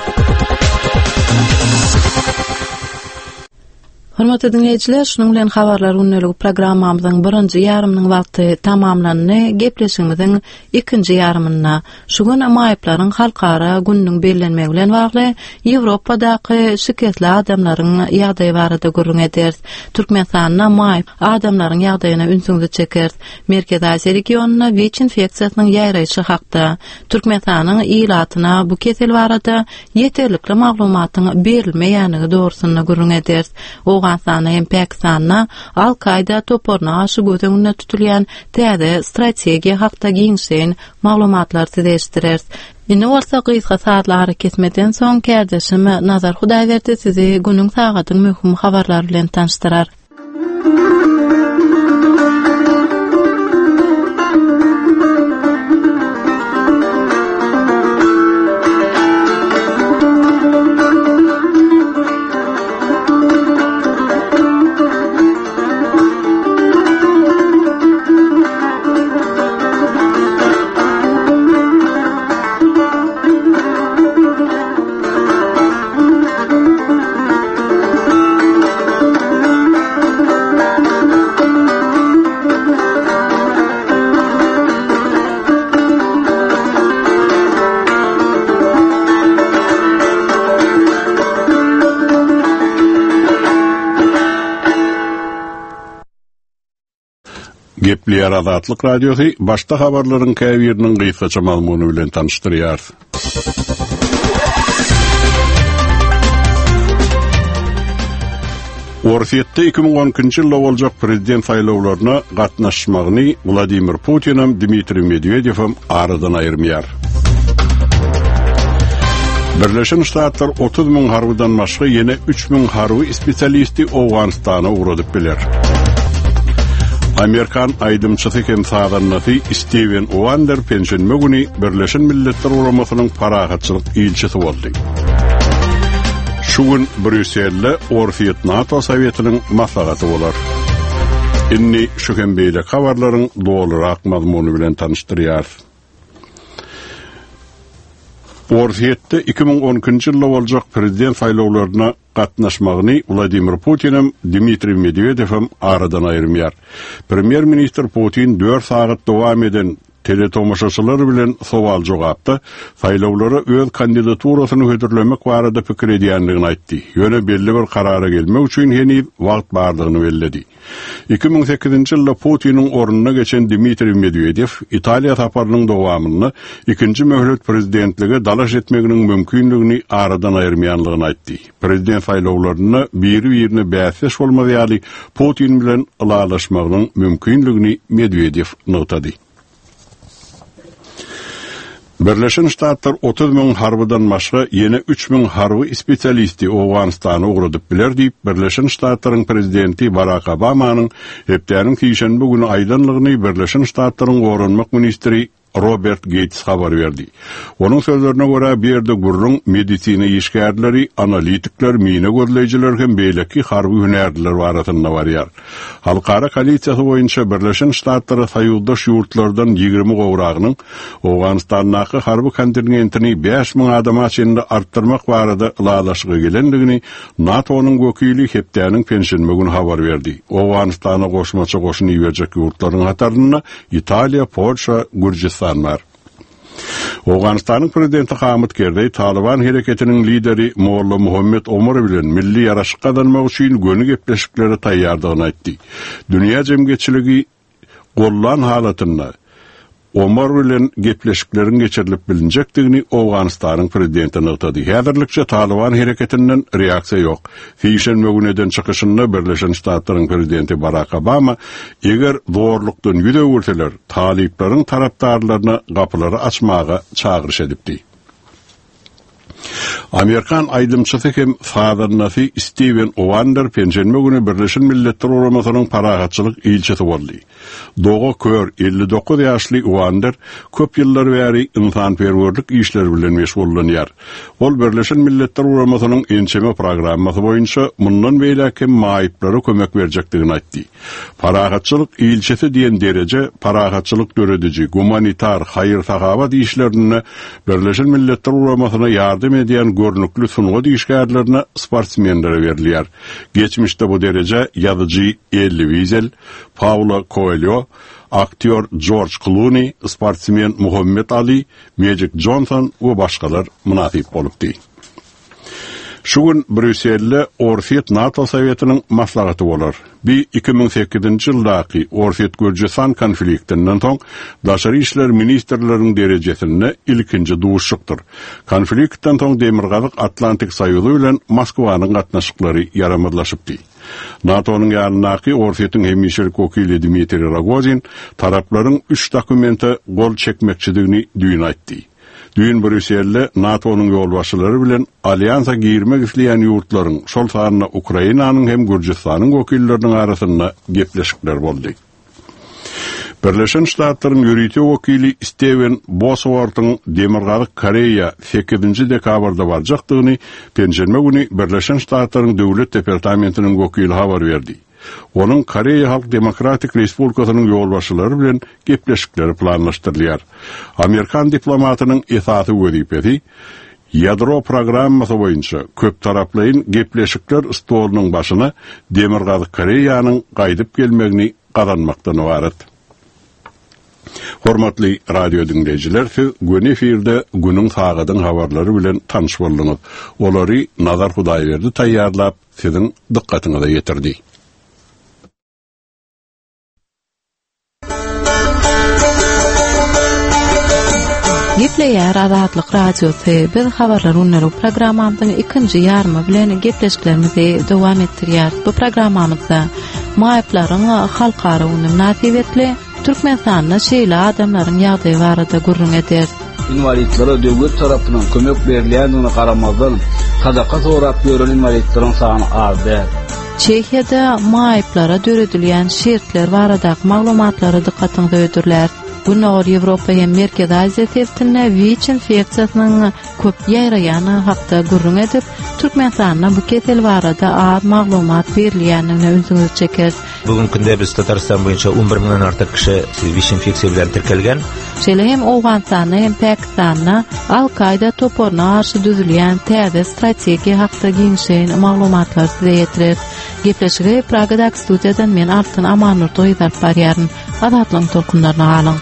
Hormatly dinleýjiler, şunuň bilen habarlar gündelik programmamyzyň birinji ýarymynyň wagty tamamlandy. Gepleşigimiziň ikinji ýarymynda şu gün maýyplaryň halkara gününiň bellenmegi bilen bagly Ýewropadaky şikesli adamlaryň ýagdaýy barada gürrüň ederis. Türkmenistanda maýyp adamlaryň ýagdaýyna ünsüňizi çekeris. Merkezi Aziýa regionynda WIÇ infeksiýasynyň ýaýraýşy hakda, Türkmenistanyň ilatyna bu kesel barada ýeterlikli maglumatyň berilmeýänligi dogrusynda gürrüň ederis. Owganystanda hem Pakistanda Al-Kaida toparyna garşy göz öňünde tutulýan täze strategiýa hakda giňişleýin maglumatlar size eşitdireris. Indi bolsa gysga saatly ara kesmeden soň kärdeşim Nazar Hudaýberdi sizi günüň sagadyň möhüm habarlary bilen tanyşdyrar. Gepleýär Azatlyk Radiosy başda habarlaryň käbiriniň gysgaça mazmuny bilen tanyşdyrýar. Orsýetde iki müň on ikinji ýylda boljak prezident saýlawlaryna gatnaşmagyny Wladimir Putinem, Dmitriý Medwedewem aradan aýyrmaýar. Birleşen Ştatlar otuz müň harbydan başga ýene üç müň harby spesialisti Owganystana ugradyp biler. Amerikan aýdymçysy hem sazandasy Steven Wonder penşenbe güni Birleşen Milletler Guramasynyň parahatçylyk ilçisi boldy. Şu gün Brýusselde Orsýet-NATO Sowetiniň maslahaty bolar. Indi şu hem beýleki habarlaryň dolurak mazmuny bilen tanyşdyrýarys. Orsýetde iki müň on ikinji ýylda boljak prezident saýlawlaryna gatnaşmagyny Wladimir Putinem, Dmitriý Medwedewem aradan aýyrmaýar. Premýer-ministr Putin dört sagat dowam eden teletomaşaçylar bilen sowal-jogapda saýlawlara öz kandidaturasyny hödürlemek barada pikir edýändigini aýtdy. Ýöne belli bir karara gelmek üçin heniz wagt bardygyny belledi. Iki müň sekizinji ýylda Putiniň ornuna geçen Dmitriý Medwedew Italiýa saparynyň dowamynda ikinji möhlet prezidentlige dalaş etmeginiň mümkinligini aradan aýyrmaýanlygyny aýtdy. Prezident saýlawlarynda biri-birine bäsdeş bolmaz ýaly Putin bilen ylalaşmagynyň mümkinligini Medwedew nygtady. Birleşen Ştatlar otuz müň harbydan başga ýene üç müň harby spesialisti Owganystana ugradyp biler diýip, Birleşen Ştatlaryň prezidenti Barack Obamanyň hepdäniň sişenbe güni aýdanlygyny Birleşen Ştatlaryň goranmak ministri Robert Gates habar berdi. Onuň sözlerine görä, bu ýerde gürrüň medisina işgärleri, analitikler, mine gözleýjiler hem beýleki harby hünärliler barasynda barýar. Halkara koalisiýasy boýunça Birleşen Ştatlara soýuzdaş ýurtlardan ýigrimi gowragynyň Owganystandaky harby kontingentini bäş müň adama çenli artdyrmak barada ylalaşyga gelendigini NATO-nyň wekili hepdäniň penşenbe güni habar berdi. Owganystana goşmaça goşun iberjek ýurtlaryň hatarynda Italiýa, Polşa, Gürjüstan bar. Owganystanyň prezidenti Hamid Kerzeý Taliban hereketiniň lideri Molla Muhammed Omar bilen milli ýaraşyk gazanmak üçin göni gepleşiklere taýýardygyny aýtdy. Dünýä jemgyýetçiligi gollan halatynda Omar bilen gepleşikleriň geçirilip bilinjekdigini Owganystanyň prezidenti nygtady. Häzirlikçe Taliban hereketinden reaksiýa ýok. Sişenbe güni eden çykyşynda Birleşen Ştatlaryň prezidenti Barack Obama eger zorlukdan ýüz öwürseler, talyplaryň tarapdarlaryna gapylary açmaga çagyryş edipdi. Amerikan aýdymçysy hem sazandasy Steven Wonder penşenbe güni Birleşen Milletler Guramasynyň parahatçylyk ilçisi boldy. Doga kör elli dokuz ýaşly Wonder köp ýyllar bäri insanperwerlik işleri bilen meşgullanýar. Ol Birleşen Milletler Guramasynyň ençeme programmasy boýunça mundan beýläk hem maýyplara kömek berjekdigini aýtdy. Parahatçylyk ilçisi diýen dereje parahatçylyk dörediji, gumanitar, haýyr-sahabat işlerinde Birleşen Milletler Guramasyna ýardam edýän görnükli sungat işgärlerine, sportsmenlere berilýär. Geçmişde bu dereje ýazyjy Elli Wiesel, Paulo Coelho, aktýor George Clooney, sportsmen Muhammed Ali, Magic Johnson we başgalar mynasyp bolupdy. Şu gün Brýusselde Orsýet-NATO Sowetiniň maslahaty bolar. Bi iki müň sekizinji ýyldaky Orsýet-Gürjüstan konfliktinden soň daşary işler ministrleriniň derejesinde ilkinji duşuşykdyr. Konfliktden soň Demirgazyk Atlantik Soýuzy bilen Moskwanyň gatnaşyklary ýaramazlaşypdy. NATO-nyň ýanyndaky Orsýetiň hemişelik wekili Dmitriý Rogozin taraplaryň üç dokumente gol çekmekçidigini düýn aýtdy. Düýn Brýusselde NATO-nyň ýolbaşçylary bilen alýansa girmek isleýän ýurtlaryň, şol sanda Ukrainanyň hem Gürjüstanyň wekilleriniň arasynda gepleşikler boldy. Birleşen Ştatlaryň ýörite wekili Steven Bosworthyň Demirgazyk Koreýa sekizinji dekabrda barjakdygyny penşenbe güni Birleşen Ştatlaryň Döwlet Departamentiniň wekili habar berdi. Onuň Koreýa Halk Demokratik Respublikasynyň ýolbaşçylary bilen gepleşikleri planlaşdyrylýar. Amerikan diplomatynyň esasy wezipesi ýadro programmasy boýunça köptaraplaýyn gepleşikler stolunyň başyna Demirgazyk Koreýanyň gaýdyp gelmegini gazanmakdan ibarat. Hormatly radio dinleýjiler, siz göni efirde günüň sagadyň habarlary bilen tanyş bolduňyz. Olary Nazar Hudaýberdi taýýarlap, siziň dykgatyňyza ýetirdi. Gepleýär Azatlyk Radiosy. Biz habarlar günleri programmamyzyň ikinji ýarymy bilen gepleşiklerimizi dowam etdirýäris. Bu programmamyzda maýyplaryň halkara güni mynasybetli Türkmenistanda şeýle adamlaryň ýagdaýy barada gürrüň ederis. Inwalidlere döwlet tarapyndan kömek berilýändigine garamazdan, sadaka sorap ýören inwalidleriň sany az däl. Çehiýada maýyplara döredilýän şertler baradaky maglumatlara dykgatyňyzy hödürläris. Gündogar Ýewropa hem Merkezi Aziýa sebitinde WIÇ infeksiýasynyň köp ýaýraýany hakda gürrüň edip, Türkmenistanda bu kesel barada az maglumat berilýändigine ünsüňizi çekeris. Bugünkü günde biz Tatarstan boýunça on bir müňden artyk kişi WIÇ infeksiýa bilen tirkelgen. Şeýle hem Owganystanda hem Pakistanda Al-Kaida toparyna garşy düzülýän täze strategiýa hakda giňişleýin maglumatlar size ýetirer. Gepleşigi Pragadaky studiýadan men Altyn Amanurdy gyz alyp barýaryn. Azatlygyň tolkunlaryna galyň.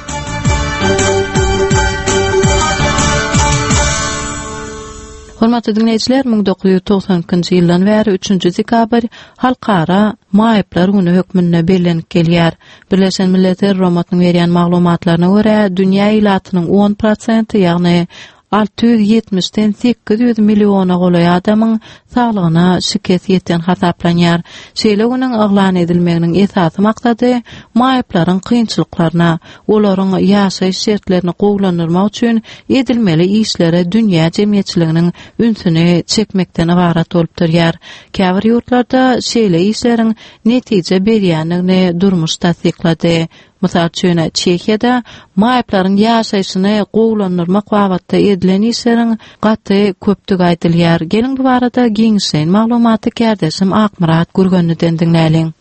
Hormatly dinleýjiler, müň dokuz ýüz togsan ikinji ýyldan bäri üçünji dekabr Halkara Maýyplar güni hökmünde bellenip gelýär. Birleşen Milletler Guramasynyň berýän maglumatlaryna görä, dünýä ilatynyň on prosenti, ýagny alty ýüz ýetmişden sekiz ýüz milliona golaý adamyň saglygyna şikes ýeten hasaplanýar. Şeýle günüň yglan edilmeginiň esasy maksady maýyplaryň kynçylyklaryna, olaryň ýaşaýyş şertlerini gowulandyrmak üçin edilmeli işlere dünýä jemgyýetçiliginiň ünsüni çekmekden ybarat bolup durýar. Käbir ýurtlarda şeýle işleriň netije berýändigini durmuş tassyklady. Mysal üçin, Çehiýada maýyplaryň ýaşaýşyny gowulandyrmak babatda edilen işleriň gaty köpdügi aýdylýar. Geliň bu barada giňişleýin maglumaty kärdeşim Akmyrat Gürgenliden diňläliň.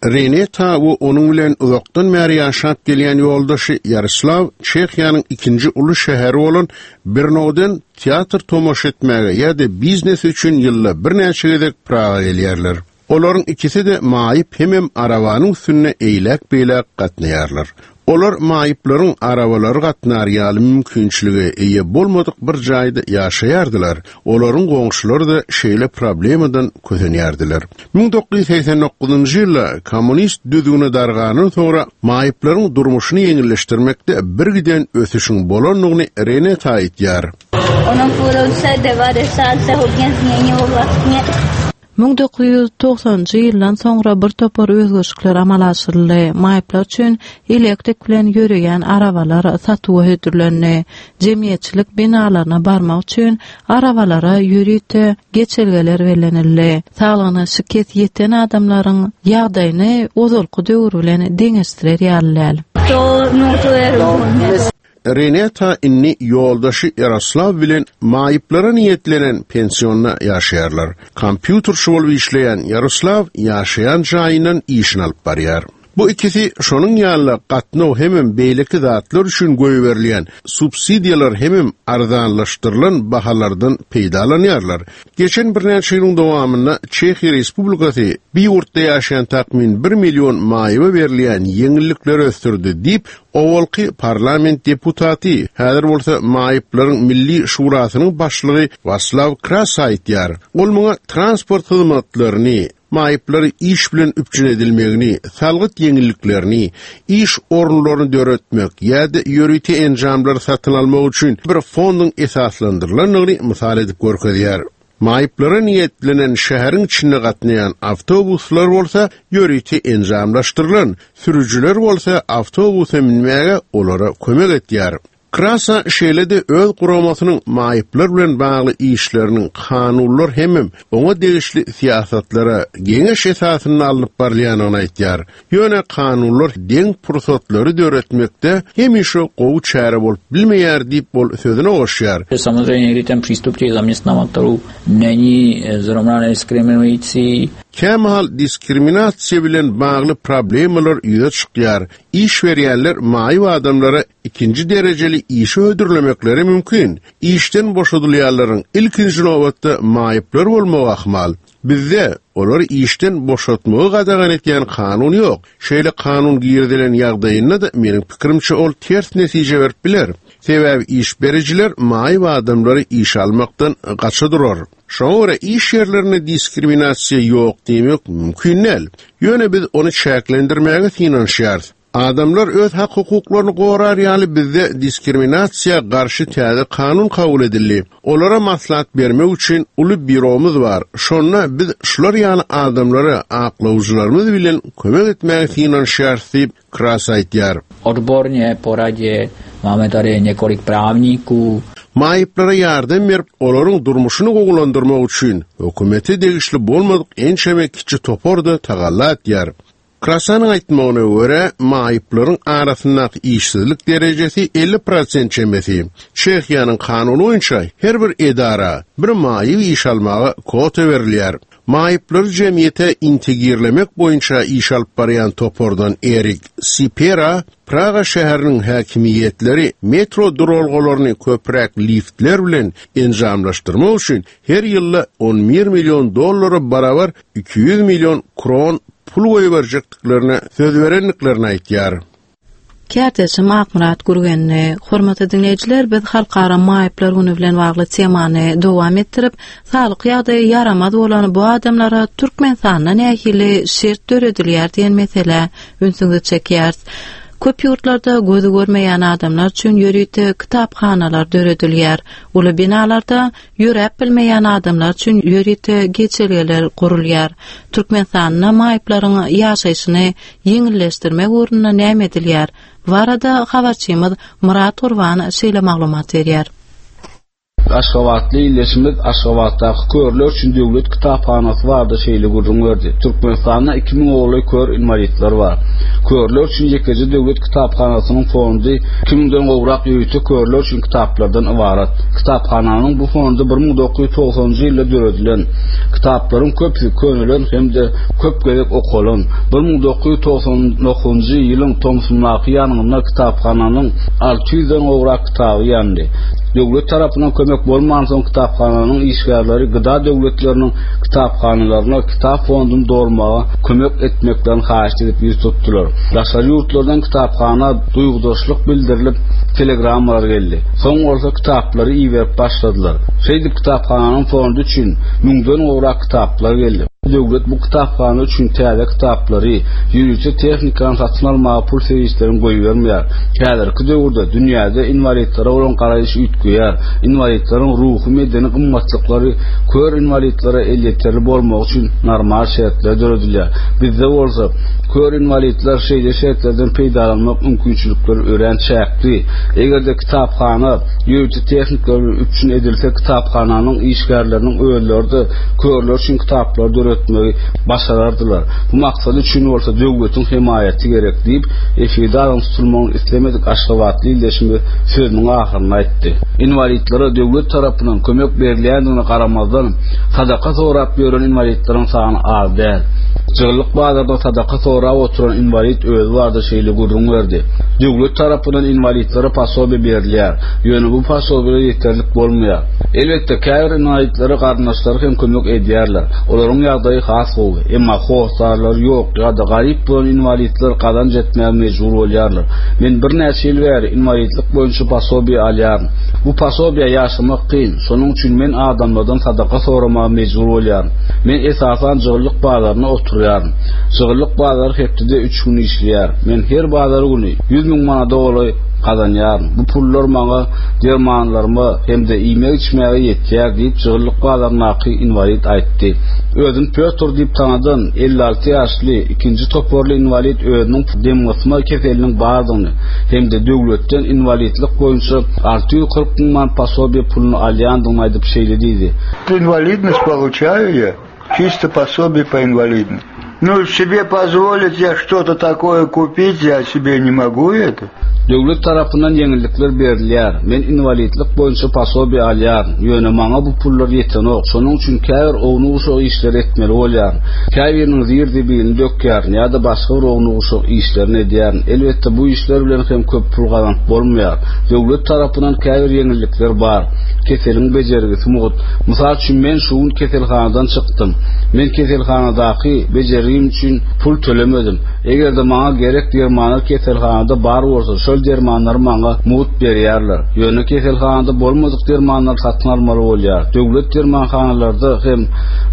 Reneta we onuň bilen uzakdan bäri ýaşap gelýän ýoldaşy Ýaroslaw Çehiýanyň ikinji uly şäheri bolan Brnodan teatr tomaşa etmäge ýa-da biznes üçin ýylda birnäçe gezek Praga gelýärler. Olaryň ikisi-de maýyp hemem arabanyň üstünde eýläk-beýläk gatnaýarlar. Olar maýyplaryň arabalary gatnar ýaly mümkinçilige eýe bolmadyk bir jaýda ýaşaýardylar. Olaryň goňşulary da şeýle problemadan kösenýärdiler. Müň dokuz ýüz segsen dokuzynjy ýylda kommunist düzgüni dargandan soňra maýyplaryň durmuşyny ýeňilleşdirmekde bir giden ösüşiň bolandygyny Reneta aýtýar. Onuň purulsa devadesalsa hogenznenje bolwasne. Müň dokuz ýüz togsanjy ýyldan soňra bir topar özgerişlikler amala aşyryldy. Maýyplar üçin elektrik bilen ýöreýän arabalar satuwa hödürlendi. Jemgyýetçilik binalaryna barmak üçin arabalara ýörite geçelgeler bellenildi. Saglygyna şikes ýeten adamlaryň ýagdaýyny ozalky döwür bilen deňeşdirer ýaly däl. Reneta inni ýoldaşy Ýaroslaw bilen maýyplara niýetlenen pensionda ýaşaýarlar. Kompýuterçi bolup işleýän Ýaroslaw ýaşaýan jaýyndan işini alyp barýar. Bu ikisi şonuň ýaly gatnaw hemem beýleki zatlar üçin goýberilýän subsidiýalar hemem arzanlaşdyrylan bahalardan peýdalanýarlar. Geçen birnäçe ýylyň dowamynda Çehiýa Respublikasy bir ýurtda ýaşaýan takmyn bir million maýyba berilýän ýeňillikleri ösdürdi diýip, owalky parlament deputaty, häzir bolsa maýyplaryň milli şurasynyň başlygy Waslaw Krasa aýtýar. Ol muňa transport hyzmatlaryny, maýyplary iş bilen üpjün edilmegini, salgyt ýeňilliklerini, iş orunlaryny döretmek ýa-da ýörite enjamlary satyn almak üçin bir fonduň esaslandyrylandygyny mysal edip görkezýär. Maýyplara niýetlenen şäheriň içinde gatnaýan awtobuslar bolsa ýörite enjamlaşdyrylan, sürüjiler bolsa awtobusa minmäge olara kömek etýär. Krasa şeýle-de öz guramasynyň maýyplar bilen bagly işleriniň kanunlar hemem oňa degişli syýasatlara geňeş esasynda alnyp barylýanyny aýtýar. Ýöne kanunlar deň pursatlary döretmekde hemişe gowy çäre bolup bilmeýär diýip ol sözüne goşýar. Samozřejmě někdy ten přístup těch zaměstnavatelů není zrovna nediskriminující. Kämahal diskriminasiýa bilen bagly problemalar ýüze çykýar. Iş berýänler maýyp adamlara ikinji derejeli işi hödürlemekleri mümkin. Işden boşadylýanlaryň ilkinji nobatda maýyplar bolmagy ahmal. Bizde olary işden boşatmagy gadagan etýän kanun ýok. Şeýle kanun girizilen ýagdaýynda da meniň pikirimçe ol ters netije berip biler. Sebäbi iş bericiler maýyp adamlary iş almakdan gaça durar. Şoňa görä iş ýerlerinde diskriminasiýa ýok diýmek mümkin däl. Ýöne biz ony çäklendirmäge synanyşýarys. Adamlar öz hak-hukuklaryny gorar ýaly bizde diskriminasiýa garşy täze kanun kabul edildi. Olara maslahat bermek üçin uly býuromyz bar. Şonda biz şular ýaly adamlara aklawjylarymyz bilen kömek etmäge synanyşýarys diýip Krasa aýtýar. Odborně poradě máme tady několik právníků. Maýyplara ýardam berip, olaryň durmuşyny gowulandyrmak üçin hökümete degişli bolmadyk ençeme kiçi toparda tagalla etýär. Krasanyň aýtmagyna görä, maýyplaryň arasyndaky işsizlik derejesi elli prosent çemesi. Çehiýanyň kanuny boýunça her bir edara bir maýyp iş almaga kwota berilýär. Maýyplary jemgyýete integrirlemek boýunça iş alyp barýan topardan Erik Sipera Praga şäheriniň häkimiýetleri metro duralgalaryny köpräk liftler bilen enjamlaşdyrmak üçin her ýylda on bir million dollara barabar iki ýüz million kron pul goýberjekdiklerine söz berendiklerini aýtýar. Kärdeşim Akmyrat Gürgenli, hormatly dinleýjiler, biz Halkara Maýyplar güni bilen bagly temany dowam etdirip, saglyk ýagdaýy ýaramaz bolan bu adamlara Türkmenistanda nähili şert döredilýär diýen mesele ünsüňizi çekýär. Köp ýurtlarda gözi görmeýän adamlar üçin ýörite kitaphanalar döredilýär. Uly binalarda ýöräp bilmeýän adamlar üçin ýörite geçelgeler gurulýar. Türkmenistanda maýyplaryň ýaşaýşyny ýeňilleşdirmek ugrunda näme edilýär? Bu arada habarçymyz Murat Gurban şeýle maglumat berýär. Aşgabatly ildeşimiz Aşgabatdaky körler üçin döwlet kitaphanasy barada şeýle gürrüň berdi. Türkmenistanda iki müň ogly kör inwalidler bar. Körler üçin ýekeje döwlet kitaphanasynyň fondy iki müňden gowrak ýörite körler üçin kitaplardan ybarat. Kitaphananyň bu fondy bir müň dokuz ýüz togsanynjy ýylda döredilen. Kitaplaryň köpüsi könelen hem-de köp gezek okalan. Bir müň dokuz ýüz togsan dokuzynjy ýylyň tomsundaky ýangynda kitaphananyň alty ýüzden gowrak kitaby ýandy. Döwlet tarapyndan kömek bolmansoň kitaphananyň işgärleri gıda döwletleriniň kitaphanalaryna kitap fonduny dolmaga kömek etmeklerini haýyş edip ýüz tutdular. Daşary ýurtlardan kitaphana duýgudaşlyk bildirilip telegrammalar geldi. Soň bolsa kitaplary iberip başladylar. Şeýdip kitaphananyň fondy üçin müňden gowrak kitaplar geldi. Döwlet bu kitaphana üçin täze kitaplary, ýörite tehnikany satyn almaga pul serişdelerini goýbermeýär. Häzirki döwürde dünýäde inwalidlere bolan garaýyş üýtgeýär. Inwalidleriň ruhy medeni gymmatlyklary kör inwalidlere elýeterli bolmagy üçin normal şertler döredilýär. Bizde bolsa kör inwalidler şeýle şertlerden peýdalanmak mümkinçilikleri örän çäkli. Eger-de kitaphana ýörite tehnikalar bilen üpjün edilse, kitaphananyň işgärleriniň özleri-de körler üçin kitaplar döretmegi başarardylar. Bu maksat üçin bolsa döwletiň hemaýaty gerek diýip, efirde adyň tutulmagyny islemedik Aşgabatly ildeşimiz sözüniň ahyrynda aýtdy. Inwalidlere döwlet tarapyndan kömek berilýändigine garamazdan, sadaka sorap ýören inwalidleriň sany az däl. Jygyllyk bazarda sadaka sorap oturan inwalid özi barada şeýle gürrüň berdi. Döwlet tarapyndan inwalidlere posobiýa berilýär. Ýöne bu posobiýalar ýeterlik bolmaýar. Elbetde, käbir inwalidlere garyndaşlary hem kömek edýärler. Olaryň ýagdaýy has gowy. Emma hossarlary ýok ýa-da garyp bolan inwalidler gazanç etmäge mejbur bolýarlar. Men birnäçe ýyl bäri inwalidlik boýunça posobiýa alýaryn. Bu posobiýa ýaşamak kyn. Şonuň üçin men adamlardan sadaka soramaga mejbur bolýaryn. Men esasan jygyllyk bazarynda oturýaryn. Jygyllyk bazary hepdede üç gün işleýär. Men her bazar güni ýüz müň manada golaý gazanýaryn. Bu pullar maňa dermanlaryma hem-de iýmek-içmäge ýetýär diýip, jygyllyk bazaryndaky inwalid aýtdy. Özüni Pötr diýip tanadan elli alty ýaşly ikinji toparly inwalid özüniň demgysma keseliniň bardygyny hem-de döwletden inwalidlik boýunça alty ýüz kyrk müň manat posobiýa puluny alýandygyny aýdyp şeýle diýdi. Инвалидность получаю я, чисто пособие по инвалидности. Ну, себе позволить я что-то такое купить, я себе не могу это. Döwlet tarapyndan ýeňillikler berilýär. Men inwalidlik boýunça posobiýa alýaryn. Ýöne maňa bu pullar ýetenok. Şonuň üçin käbir ownuk-uşak işleri etmeli bolýaryn. Käbiriniň zir-zibilini dökýärin ýa-da başga bir ownuk-uşak işlerini edýärin. Elbetde bu işler bilen hem köp pul gazanyp bolmaýar. Döwlet tarapyndan käbir ýeňillikler bar. Keseliň bejergisi mugt. Mysal üçin men şu gün keselhanadan çykdym. Men keselhanadaky bejergi Bejergim üçin pul tölemedim. Eger-de maňa gerek dermanlar keselhanada bar bolsa, şol dermanlary maňa mugt berýärler. Ýöne keselhanada bolmadyk dermanlary satyn almaly bolýar. Döwlet dermanhanalarda hem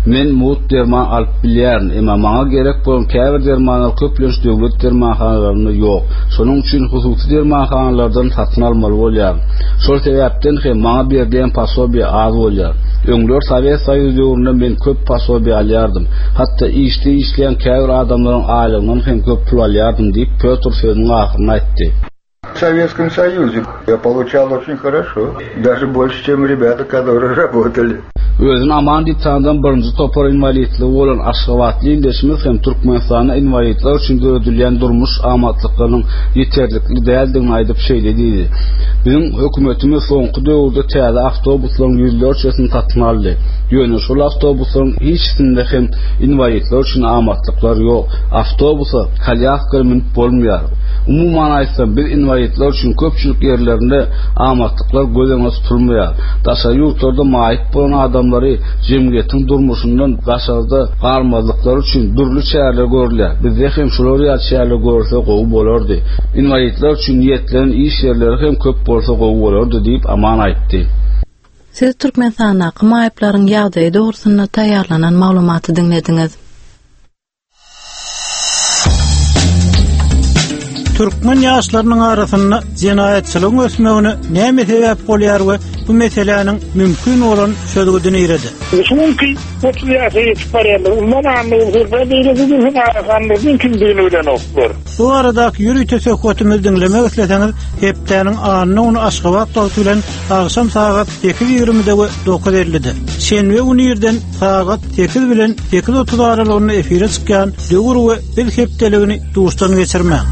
men mugt derman alyp bilýärin, emma maňa gerek bolan käbir dermanlar köplenç döwlet dermanhanalarynda ýok. Şonuň üçin hususy dermanhanalardan satyn almaly bolýaryn. Şol sebäpden hem maňa berilýän posobiýe az bolýar. Öňler Sowet Soýuzy döwründe men köp posobiýe alýardym. Hatda işde işleýän käbir adamlaryň aýlygyndan hem köp pul alýardym diýip, Pýotr sözüniň ahyrynda aýtdy. В Советском Союзе я получал очень хорошо, даже больше, чем ребята, которые работали. Özüni Aman diýip tanadan birinji topar inwalidligi bolan aşgabatly ildeşimiz hem Türkmenistanda inwalidler üçin döredilýän durmuş amatlyklarynyň ýeterlikli däldigini aýdyp şeýle diýdi, Biziň hökümetimiz soňky döwürde täze awtobuslaryň ýüzlerçesini satyn aldy. Ýöne şol awtobuslaryň hiçisinde hem inwalidler üçin amatlyklar ýok. Awtobusa kolýaskaly münüp bolmaýar. Umuman aýtsam, biz inwalidler üçin köpçülik ýerlerinde amatlyklar göz öňünde tutulmaýar. Daşary ýurtlarda maýyp bolan adamlary jemgyýetiň durmuşyndan daşarda galmazlyklary üçin dürli çäreler görülýär. Bizde hem şular ýaly çäreler görülse gowy bolardy. Inwalidler üçin niýetlenen iş ýerleri hem köp bolsa gowy bolardy diýip, Aman aýtdy. Siz Türkmenistandaky maýyplaryň ýagdaýy dogrusynda taýýarlanan maglumaty diňlediňiz. Türkmen ýaşlarynyň arasynda jenaýatçylygyň ösmegine näme sebäp bolýar we bu meseläniň mümkin bolan çözgüdi nirede? Şu günki otuz ýaşa ýetip barýanlar, umuman anlaýan beýleki gün arahanlaryň kimdigini bilenoklar. Bu baradaky ýörite söhbetimizi diňlemek isleseňiz, hepdäniň anna güni Aşgabat wagty bilen agşam sagat sekiz ýigrimide we dokuz ellide. Şenbe güni irden sagat sekiz bilen sekiz otuz aralygynda efire çykýan Döwür we Biz hepdeligini duşdan geçirmäň.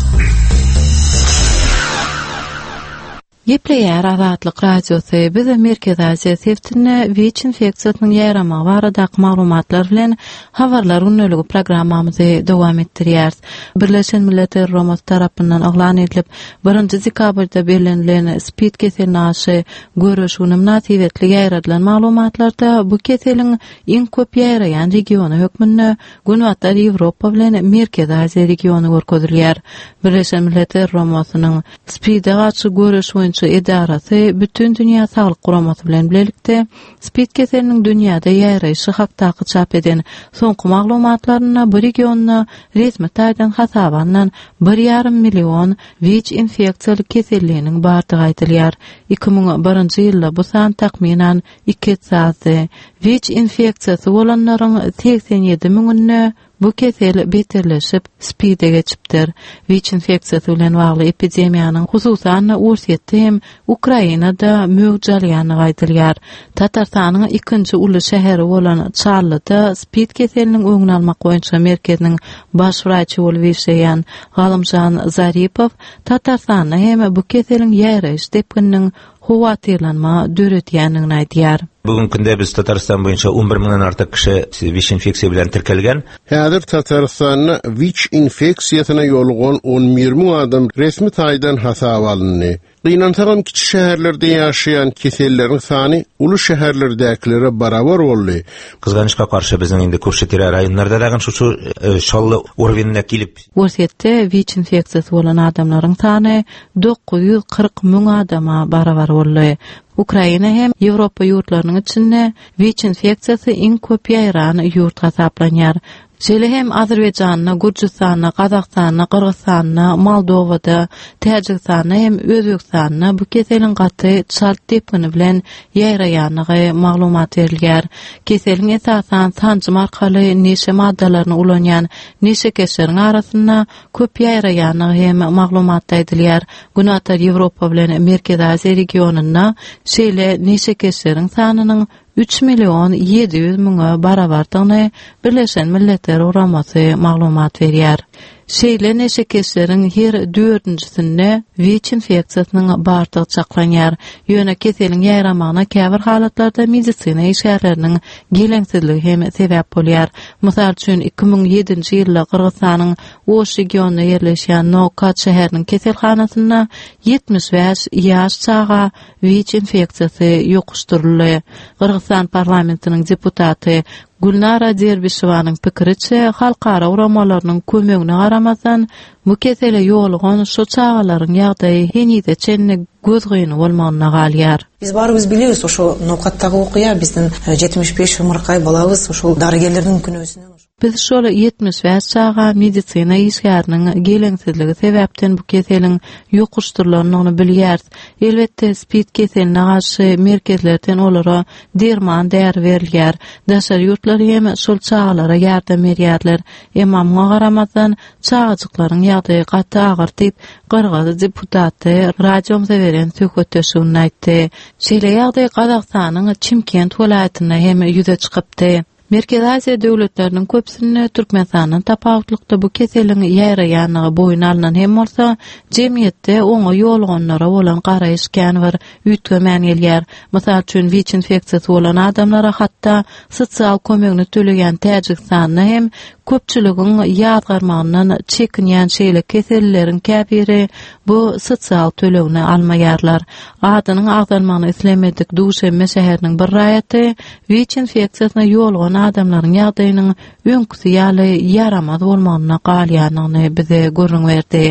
Gepleýär Azatlyk Radiosy. Biz Merkezi Aziýa sebitinde WIÇ infeksiýasynyň ýaýramagy baradaky maglumatlar bilen habarlar gündeligi programmamyzy dowam etdirýäris. Birleşen Milletler Guramasy tarapyndan yglan edilip, birinji dekabrda bellenilen SPID keseline garşy göreş güni mynasybetli ýaýradylan maglumatlarda bu keseliň iň köp ýaýraýan regiony hökmünde Günbatar Ýewropa bilen Merkezi Aziýa regiony görkezilýär. Birleşen Milletler Guramasynyň SPID-e garşy göreş boýunça edarasy Bütün Dünýä Saglyk Guramasy bilen bilelikde SPID keseliniň dünýäde ýaýraýşy hakdaky çap eden soňky maglumatlarynda bu regionda resmi taýdan hasaba alnan bir ýarym million WIÇ infeksiýaly keselliniň bardygy aýdylýar. Iki müň birinji ýylda bu san takmynan iki esse azdy. WIÇ infeksiýasy bolanlaryň segsen ýedi müňünde bu kesel beterleşip, SPID-e geçipdir. WIÇ infeksiýasy bilen bagly epidemiýanyň hususan-da Orsýetde hem Ukrainada möwç alýandygy aýdylýar. Tatarstanyň ikinji uly şäheri bolan Çarlyda SPID keseliniň öňüni almak boýunça merkeziniň baş wraçy bolup işleýän Galymjan Zaripow Tatarstanda hem bu keseliň ýaýraýyş depgininiň howatyrlanma döredýändigini aýdýar. Bugünkü günde biz Tatarstan boýunça on bir müňden artyk kişi WIÇ infeksiýa bilen tirkelgen. Häzir Tatarstanda WIÇ infeksiýasyna ýolugan on bir müň adam resmi taýdan hasaba alyndy. Gynansagam kiçi şäherlerde ýaşaýan keselleriň sany uly şäherlerdäkilere barabar boldy. Gyzganyşka garşy biziň indi Kürşi-Tire raýonlarda dagy şu, şu, e, şally urwinine gelip Orsýetde WIÇ infeksiýasy bolan adamlaryň sany dokuz ýüz kyrk müň adama barabar boldy. Ukraina hem Ýewropa ýurtlarynyň içinde WIÇ infeksiýasy iň köp ýaýran ýurt hasaplanýar. Şeýle hem Azerbaýjanda, Gürjüstanda, Gazagystanda, Gyrgyzystanda, Moldowada, Täjigistanda hem Özbegistanda bu keseliň gaty çalt depgini bilen ýaýraýandygy maglumat berilýär. Keseliň esasan sanjym arkaly neşe maddalaryny ulanýan neşekeşleriň arasynda köp ýaýraýandygy hem maglumatda aýdylýar. Günorta Ýewropa bilen Merkezi Aziýa regionynda şeýle neşekeşleriň sanynyň üç million ýedi ýüz müňe barabardygyny Birleşen Milletler Guramasy maglumat berýär. Şeýle neşekeşleriň her dördünjisinde WIÇ infeksiýasynyň bardygy çaklanýar. Ýöne keseliň ýaýramagyna käbir halatlarda medisina işgärleriniň geleňsizligi hem sebäp bolýar. Mysal üçin, iki müň ýedinji ýylda Gyrgyzystanyň Oş regionynda ýerleşýän Nokat şäheriniň keselhanasynda ýetmiş bäş ýaş çaga WIÇ infeksiýasy ýokuşdyryldy. Gyrgyzystan parlamentiniň deputaty Gülnara Derbişewanyň pikiriçe, halkara guramalarynyň kömegine garamazdan, bu kesele ýolugan şu çagalaryň ýagdaýy henize çenli gözgyny bolmagyna galýar. Биз баарыбыз билебиз, ошо ноокаттагы окуя биздин жетимиш беш ымыркай балабыз ошол дарыгерлердин күнөөсүнөн. Biz şol ýetmiş bäş çaga medisina işgäriniň geleňsizligi sebäpden bu keseliň ýokuşdyrylandygyny bilýäris. Elbetde SPID keseline garşy merkezlerden olara derman däri berilýär. Daşary ýurtlar hem şol çagalara ýardam berýärler. Emma muňa garamazdan çagajyklaryň ýagdaýy gaty agyr diýip, Gyrgyz deputaty radiomyza beren söhbetdeşliginde aýtdy. Şeýle ýagdaý Gazagystanyň Çimkent welaýatynda hem ýüze çykypdy. Merkezi Aziýa döwletleriniň köpüsinde Türkmenistandan tapawutlykda bu keseliň ýaýraýanlygy boýun alnan hem bolsa, jemgyýetde oňa ýolganlara bolan garaýyş kän bir üýtgemän gelýär. Mysal üçin, WIÇ infeksiýasy bolan adamlara hatda sosial kömegini töleýän Täjigistanda hem köpçüligiň ýazgarmagyndan çekinýän şeýle kesellileriň käbiri bu sosial tölegini almaýarlar. Adynyň agzalmagyny islemedik Duşenbe şäheriniň bir raýaty WIÇ infeksiýasyna ýolgan adamlaryň ýagdaýynyň öňküsi ýaly ýaramaz bolmagyna galýandygyny bize gürrüň berdi.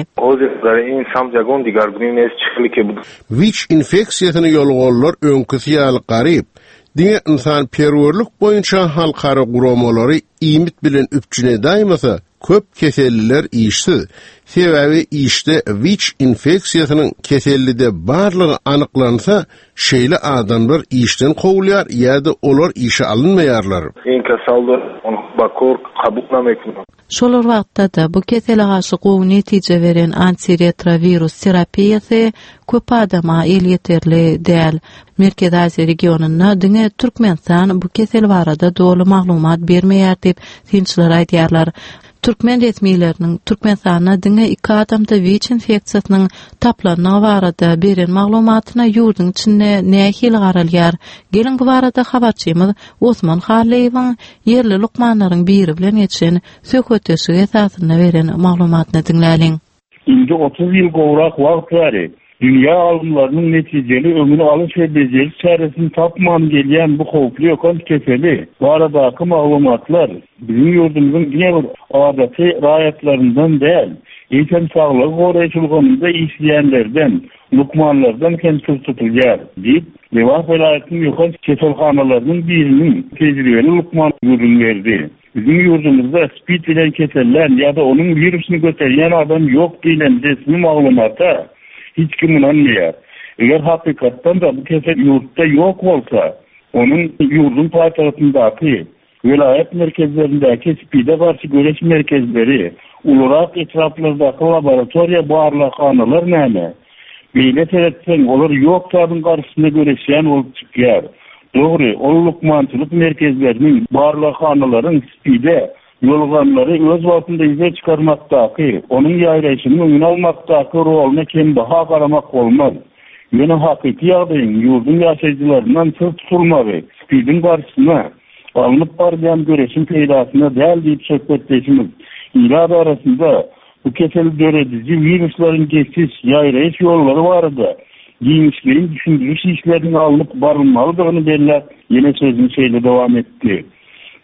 WIÇ infeksiýasyna ýolganlar öňküsi ýaly garyp, diňe ynsanperwerlik boýunça halkara guramalary iýmit bilen üpjün edäýmese, köp keselliler işsiz. Sebäbi işde WIÇ infeksiýasynyň kesellide barlygy anyklansa, şeýle adamlar işden kowulýar ýa-da olar işe alynmaýarlar. Şol wagtda-da bu kesele garşy gowy netije beren antiretrovirus terapiýasy köp adama elýeterli däl. Merkezi Aziýa regionynda diňe Türkmenistan bu kesel barada doly maglumat bermeýär diýip synçylar aýdýarlar. Türkmen resmileriniň Türkmenistanda diňe iki adamda WIÇ infeksiýasynyň taplandygy barada beren maglumatyna ýurduň içinde nähili garalýar? Geliň bu barada habarçymyz Osman Hallyýewiň ýerli lukmanlaryň biri bilen geçen söhbetdeşligi esasynda beren maglumatyny diňläliň. Indi otuz ýyl gowrak wagt bäri dünýä alymlarynyň netijeli öňüni alyş we bejeriş çäresini tapman gelýän bu howply ýokanç keseli baradaky maglumatlar biziň ýurdumyzyň diňe bir adaty raýatlaryndan däl, eýsem saglygy goraýyş ulgamynda işleýänlerden, lukmanlardan hem syr tutulýar diýip, Lebap welaýatynyň ýokanç keselhanalarynyň biriniň tejribeli lukman gürrüň berdi. Biziň ýurdumyzda SPID bilen kesellän ýa-da onuň wirusyny göterýän adam ýok diýlen resmi maglumata hiç kim ynanmaýar. Eger hakykatdan da bu kesel ýurtda ýok bolsa, onuň ýurduň paýtagtyndaky welaýat merkezlerindäki SPID-e garşy göreş merkezleri, ulurak etraplardaky laboratoriýa barlaghanalar näme? Beýle seretseň, olar ýok zadyň garşysyna göreşýän bolup çykýar. Dogry, ol lukmançylyk merkezleriniň, barlaghanalaryň SPID-e ýolganlary öz wagtynda ýüze çykarmakdaky, onuň ýaýraýşynyň öňüni almakdaky roluna kembaha garamak bolmaz. Ýöne hakyky ýagdaýyň ýurduň ýaşaýjylaryndan syr tutulmagy SPID-iň garşysyna alnyp barylýan göreşiň peýdasyna däl diýip söhbetdeşimiz ilat arasynda bu keseli dörediji wiruslaryň geçiş, ýaýraýyş ýollary barada giňişleýin düşündiriş işleriniň alnyp barylmalydygyny belläp, ýene sözüni şeýle dowam etdi.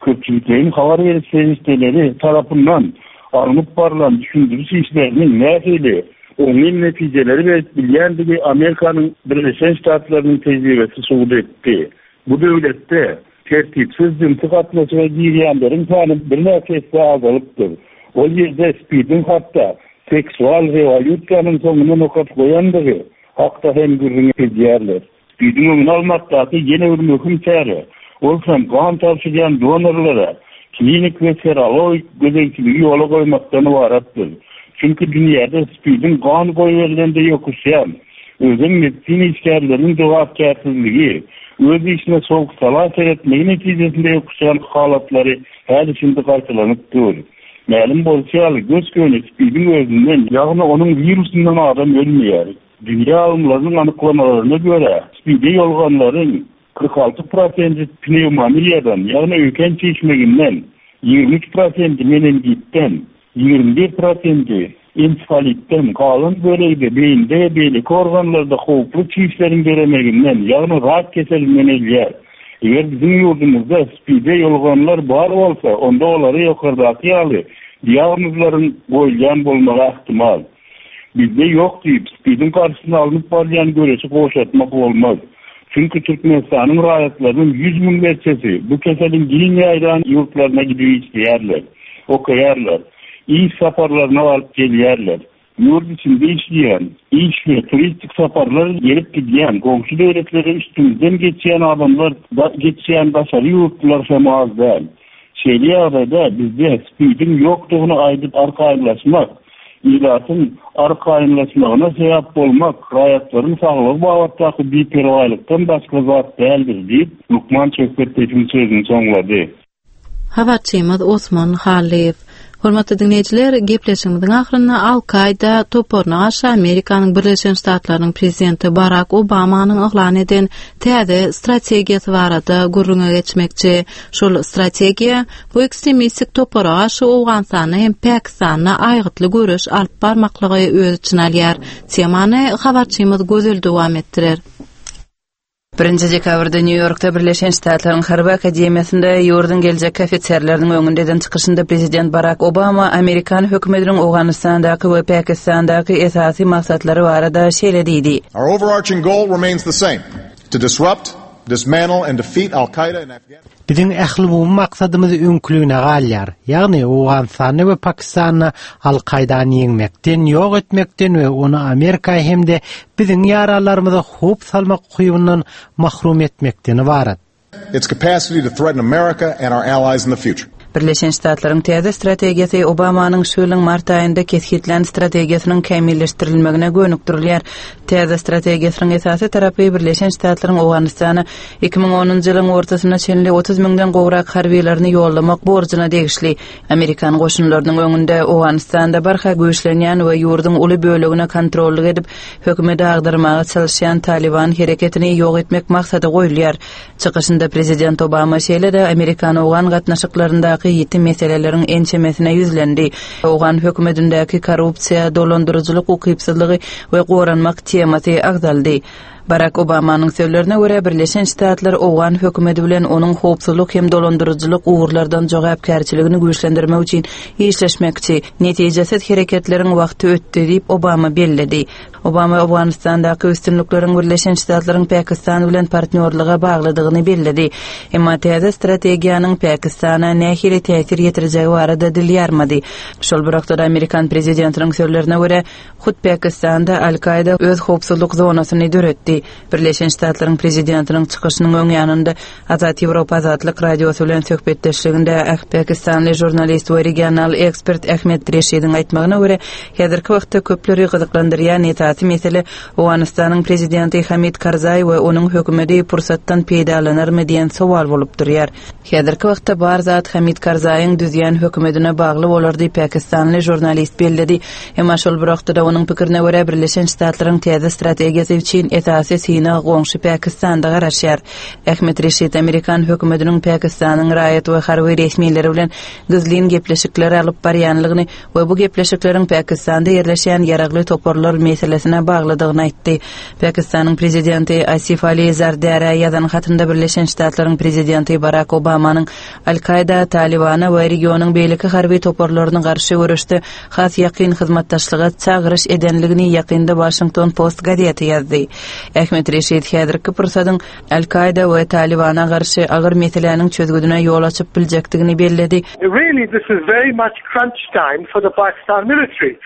Köpçülikleýin habar beriş serişdeleri tarapyndan alnyp barylan düşündiriş işleriniň nähili oňyn netijeleri berip bilýändigi Amerikanyň Birleşen Ştatlarynyň tejribesi subut etdi. Bu döwletde tertipsiz jynsy gatnaşyga girýänleriň sany birnäçe esse azalypdyr. Ol ýerde SPID-iň hatda seksual rewolýusiýanyň soňuna nokat goýandygy hakda hem gürrüň edýärler. SPID-iň öňüni almakdaky ýene bir möhüm çäre, ol hem gan tabşyrýan donorlara klinik we serologik gözegçiligi ýola goýmakdan ybaratdyr. Çünki dünýäde SPID-iň gan goýberilende ýokuşýan, özem medisina işgärleriniň jogapkärsizligi, öz işine sowuk-sala seretmegi netijesinde ýokuşýan halatlary häli şindi gaýtalanyp dur. Mälim bolşy ýaly, gös-göni SPID-iň özünden, ýagny onuň wirusyndan adam ölmeýär. Dünýä alymlarynyň anyklamalaryna görä, SPID-e ýolganlaryň kyrk alty prosenti pnewmoniýadan, ýagny öýken çişmeginden, ýigrimi üç prosenti meningitden, ýigrimi bir prosenti ensefalitden, galan bölegi-de beýnide we beýleki organlarda howply çişleriň döremeginden, ýagny rak keselinden ölýär. Eger biziň ýurdumyzda SPID-e ýoluganlar bar bolsa, onda olary ýokardaky ýaly diagnozlaryň goýulýan bolmagy ähtimal. Bizde ýok diýip, SPID-iň garşysyna alnyp barylýan göreşi gowşatmak bolmaz. Çünki Türkmenistanyň raýatlarynyň ýüz müňlerçesi bu keseliň giň ýaýran ýurtlaryna gidip işleýärler, okaýarlar, iş saparlaryna baryp gelýärler. Ýurt içinde işleýän, iş we turistik saparlar gelip gidýän, goňşy döwletlere üstümizden geçýän adamlar, geçýän daşary ýurtlular hem az däl. Şeýle ýagdaýda bizde SPID-iň ýokdugyny aýdyp arkaýynlaşmak, ilatyň arkaýynlaşmagyna sebäp bolmak raýatlaryň saglygy babatdaky biperwaýlykdan başga zat däldir diýip, lukman söhbetdeşiň sözüni soňlady. Habarçymyz Osman Hallyýew. Hormatly diňleýjiler, gepleşigimiziň ahyrynda Al-Kaýda toparyna garşy Amerikanyň Birleşen Ştatlarynyň prezidenti Barak Obamanyň yglan eden täze strategiýasy barada gürrüňe geçmekçi. Şol strategiýa bu ekstremistik topara garşy Owganystanda hem Pakistanda aýgytly göreş alyp barmaklygy öz içine alýar. Temany habarçymyz Gözel dowam etdirer. Birinji dekabrda Nýu-Ýorkda Birleşen Ştatlaryň Harby akademiýasynda ýurduň geljekki ofiserleriniň öňünde eden çykyşynda prezident Barak Obama Amerikan hökümetiniň Owganystandaky we Pakistandaky esasy maksatlary barada şeýle diýdi. Our overarching goal remains the same: to disrupt, dismantle and defeat Al-Qaeda in Afghanistan. Biziň ählumumy maksadymyz öňküligine galýar. Ýagny Owganystanda we Pakistanda Al-Kaýdany ýeňmekden, ýok etmekden we ony Amerika hem-de biziň ýaranlarymyza howp salmak ukybyndan mahrum etmekden ybarat. Its capacity to threaten America and our allies in the future. Birleşen Ştatlaryň täze strategiýasy Obamanyň şu ýylyň mart aýynda kesgitlän strategiýasynyň kämilleşdirilmegine gönükdirilýär. Täze strategiýasynyň esasy tarapy Birleşen Ştatlaryň Owganystana iki müň onunjy ýylyň ortasyna çenli otuz müňden gowrak harbylaryny ýollamak borjuna degişli. Amerikan goşunlarynyň öňünde Owganystanda barha güýçlenýän we ýurduň uly bölegine kontrollyk edip, hökümeti agdarmaga çalyşýan Taliban hereketini ýok etmek maksady goýulýar. Çykyşynda prezident Obama şeýle-de Amerikan-Owgan gatnaşyklaryndaky ýiti meseleleriň ençemesine ýüzlendi. Owgan hökümetindäki korrupsiýa, dolandyryjylyk ukypsyzlygy we goranmak temasy agzaldy. Barak Obamanyň sözlerine görä, Birleşen Ştatlar Owgan hökümeti bilen onuň howpsuzlyk hem dolandyryjylyk ugurlardan jogapkärçiligini güýçlendirmek üçin işleşmekçi. Netijesiz hereketleriň wagty ötdi diýip Obama belledi. Obama Owganystandaky üstünlikleriň Birleşen Ştatlaryň Pakistan bilen partnýorlyga baglydygyny belledi. Emma täze strategiýanyň Pakistana nähili täsir ýetirjegi barada dil ýarmady. Şol bir wagtda Amerikan prezidentiniň sözlerine görä, hut Pakistanda Al-Kaýda öz howpsuzlyk zonasyny döretdi. Birleşen Ştatlaryň prezidentiniň çykyşynyň öň ýanynda Azat Ýewropa Azatlyk Radiosy bilen söhbetdeşliginde pakistanly žurnalist we regional ekspert Ahmed Reşidiň aýtmagyna görä, häzirki wagtda köpleri gyzyklandyrýan esasy mesele Owganystanyň prezidenti Hamid Karzaý we onuň hökümeti pursatdan peýdalanarmy diýen sowal bolup durýar. Häzirki wagtda bar zat Hamid Karzaýyň düzýän hökümetine bagly bolar diýip pakistanly žurnalist belledi. Emma şol bir wagtda onuň pikirine görä Birleşen Ştatlaryň täze strategiýasy üçin esasy synag goňşy Pakistanda garaşýar. Ahmed Reşid Amerikan hökümetiniň Pakistanyň raýat we harby resmileri bilen gizlin gepleşikler alyp barýanlygyny we bu gepleşikleriň Pakistanda ýerleşýän ýaragly toparlar meselesine baglydygyny aýtdy. Pakistanyň prezidenti Asif Ali Zardara ýazan hatynda Birleşen Ştatlaryň prezidenti Barak Obamanyň Al-Kaýda, Talibana we regionyň beýleki harby toparlaryna garşy göreşde has ýakyn hyzmatdaşlyga çagyryş edenligini ýakynda Washington Post gazeti ýazdy. Ahmed Reşid häzirki pursadyň Al-Kaýda we Talibana garşy agyr meseläniň çözgüdine ýol açyp biljekdigini belledi. Really, this is very much crunch time for the Pakistan military.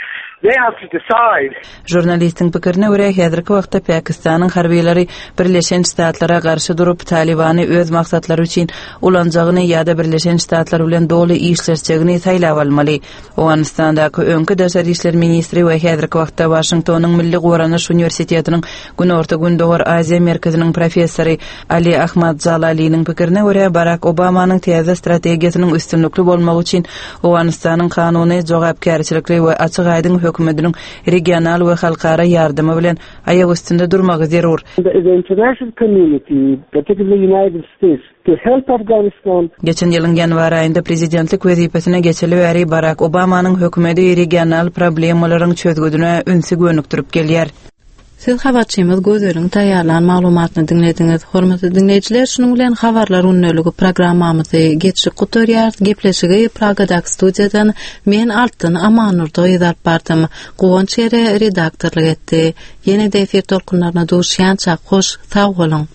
They have to decide. Žurnalistiň pikirine görä, häzirki wagtda Pakistanyň harbylary Birleşen Ştatlara garşy durup, Talibany öz maksatlary üçin ulanjagyny ýa-da Birleşen Ştatlar bilen doly işleşjegini saýlap almaly. Owganystandaky öňki daşary işler ministri we häzirki wagtda Washingtonyň Milli Goranyş Uniwersitetiniň Günorta-Gündogar Aziýa merkeziniň professory Ali Ahmad Jalaliniň pikirine görä, Barak Obamanyň täze strategiýasynyň üstünlikli bolmagy üçin Owganystanyň kanuny jogapkärçilikli we açyk-aýdyň hökümetiniň regional we halkara ýardymy bilen aýak üstünde durmagy zerur. The international community, particularly United States, to help Afghanistan. Geçen ýylyň ýanwar aýynda prezidentlik wezipesine geçeli bäri Barak Obamanyň hökümeti regional problemalaryň çözgüdine ünsi gönükdirip gelýär. Siz habarçymyz Gözeliň taýýarlan maglumatyny diňlediňiz. Hormatly diňleýjiler, şunuň bilen habarlar gündeliği programmamyzy geçip gutarýarys. Gepleşigi Pragadaky studiýadan men Altyn Amanurda alyp bardym. Guwanç Ýere redaktorlyk etdi. Ýene-de efir tolkunlaryna duşýança hoş, sag boluň.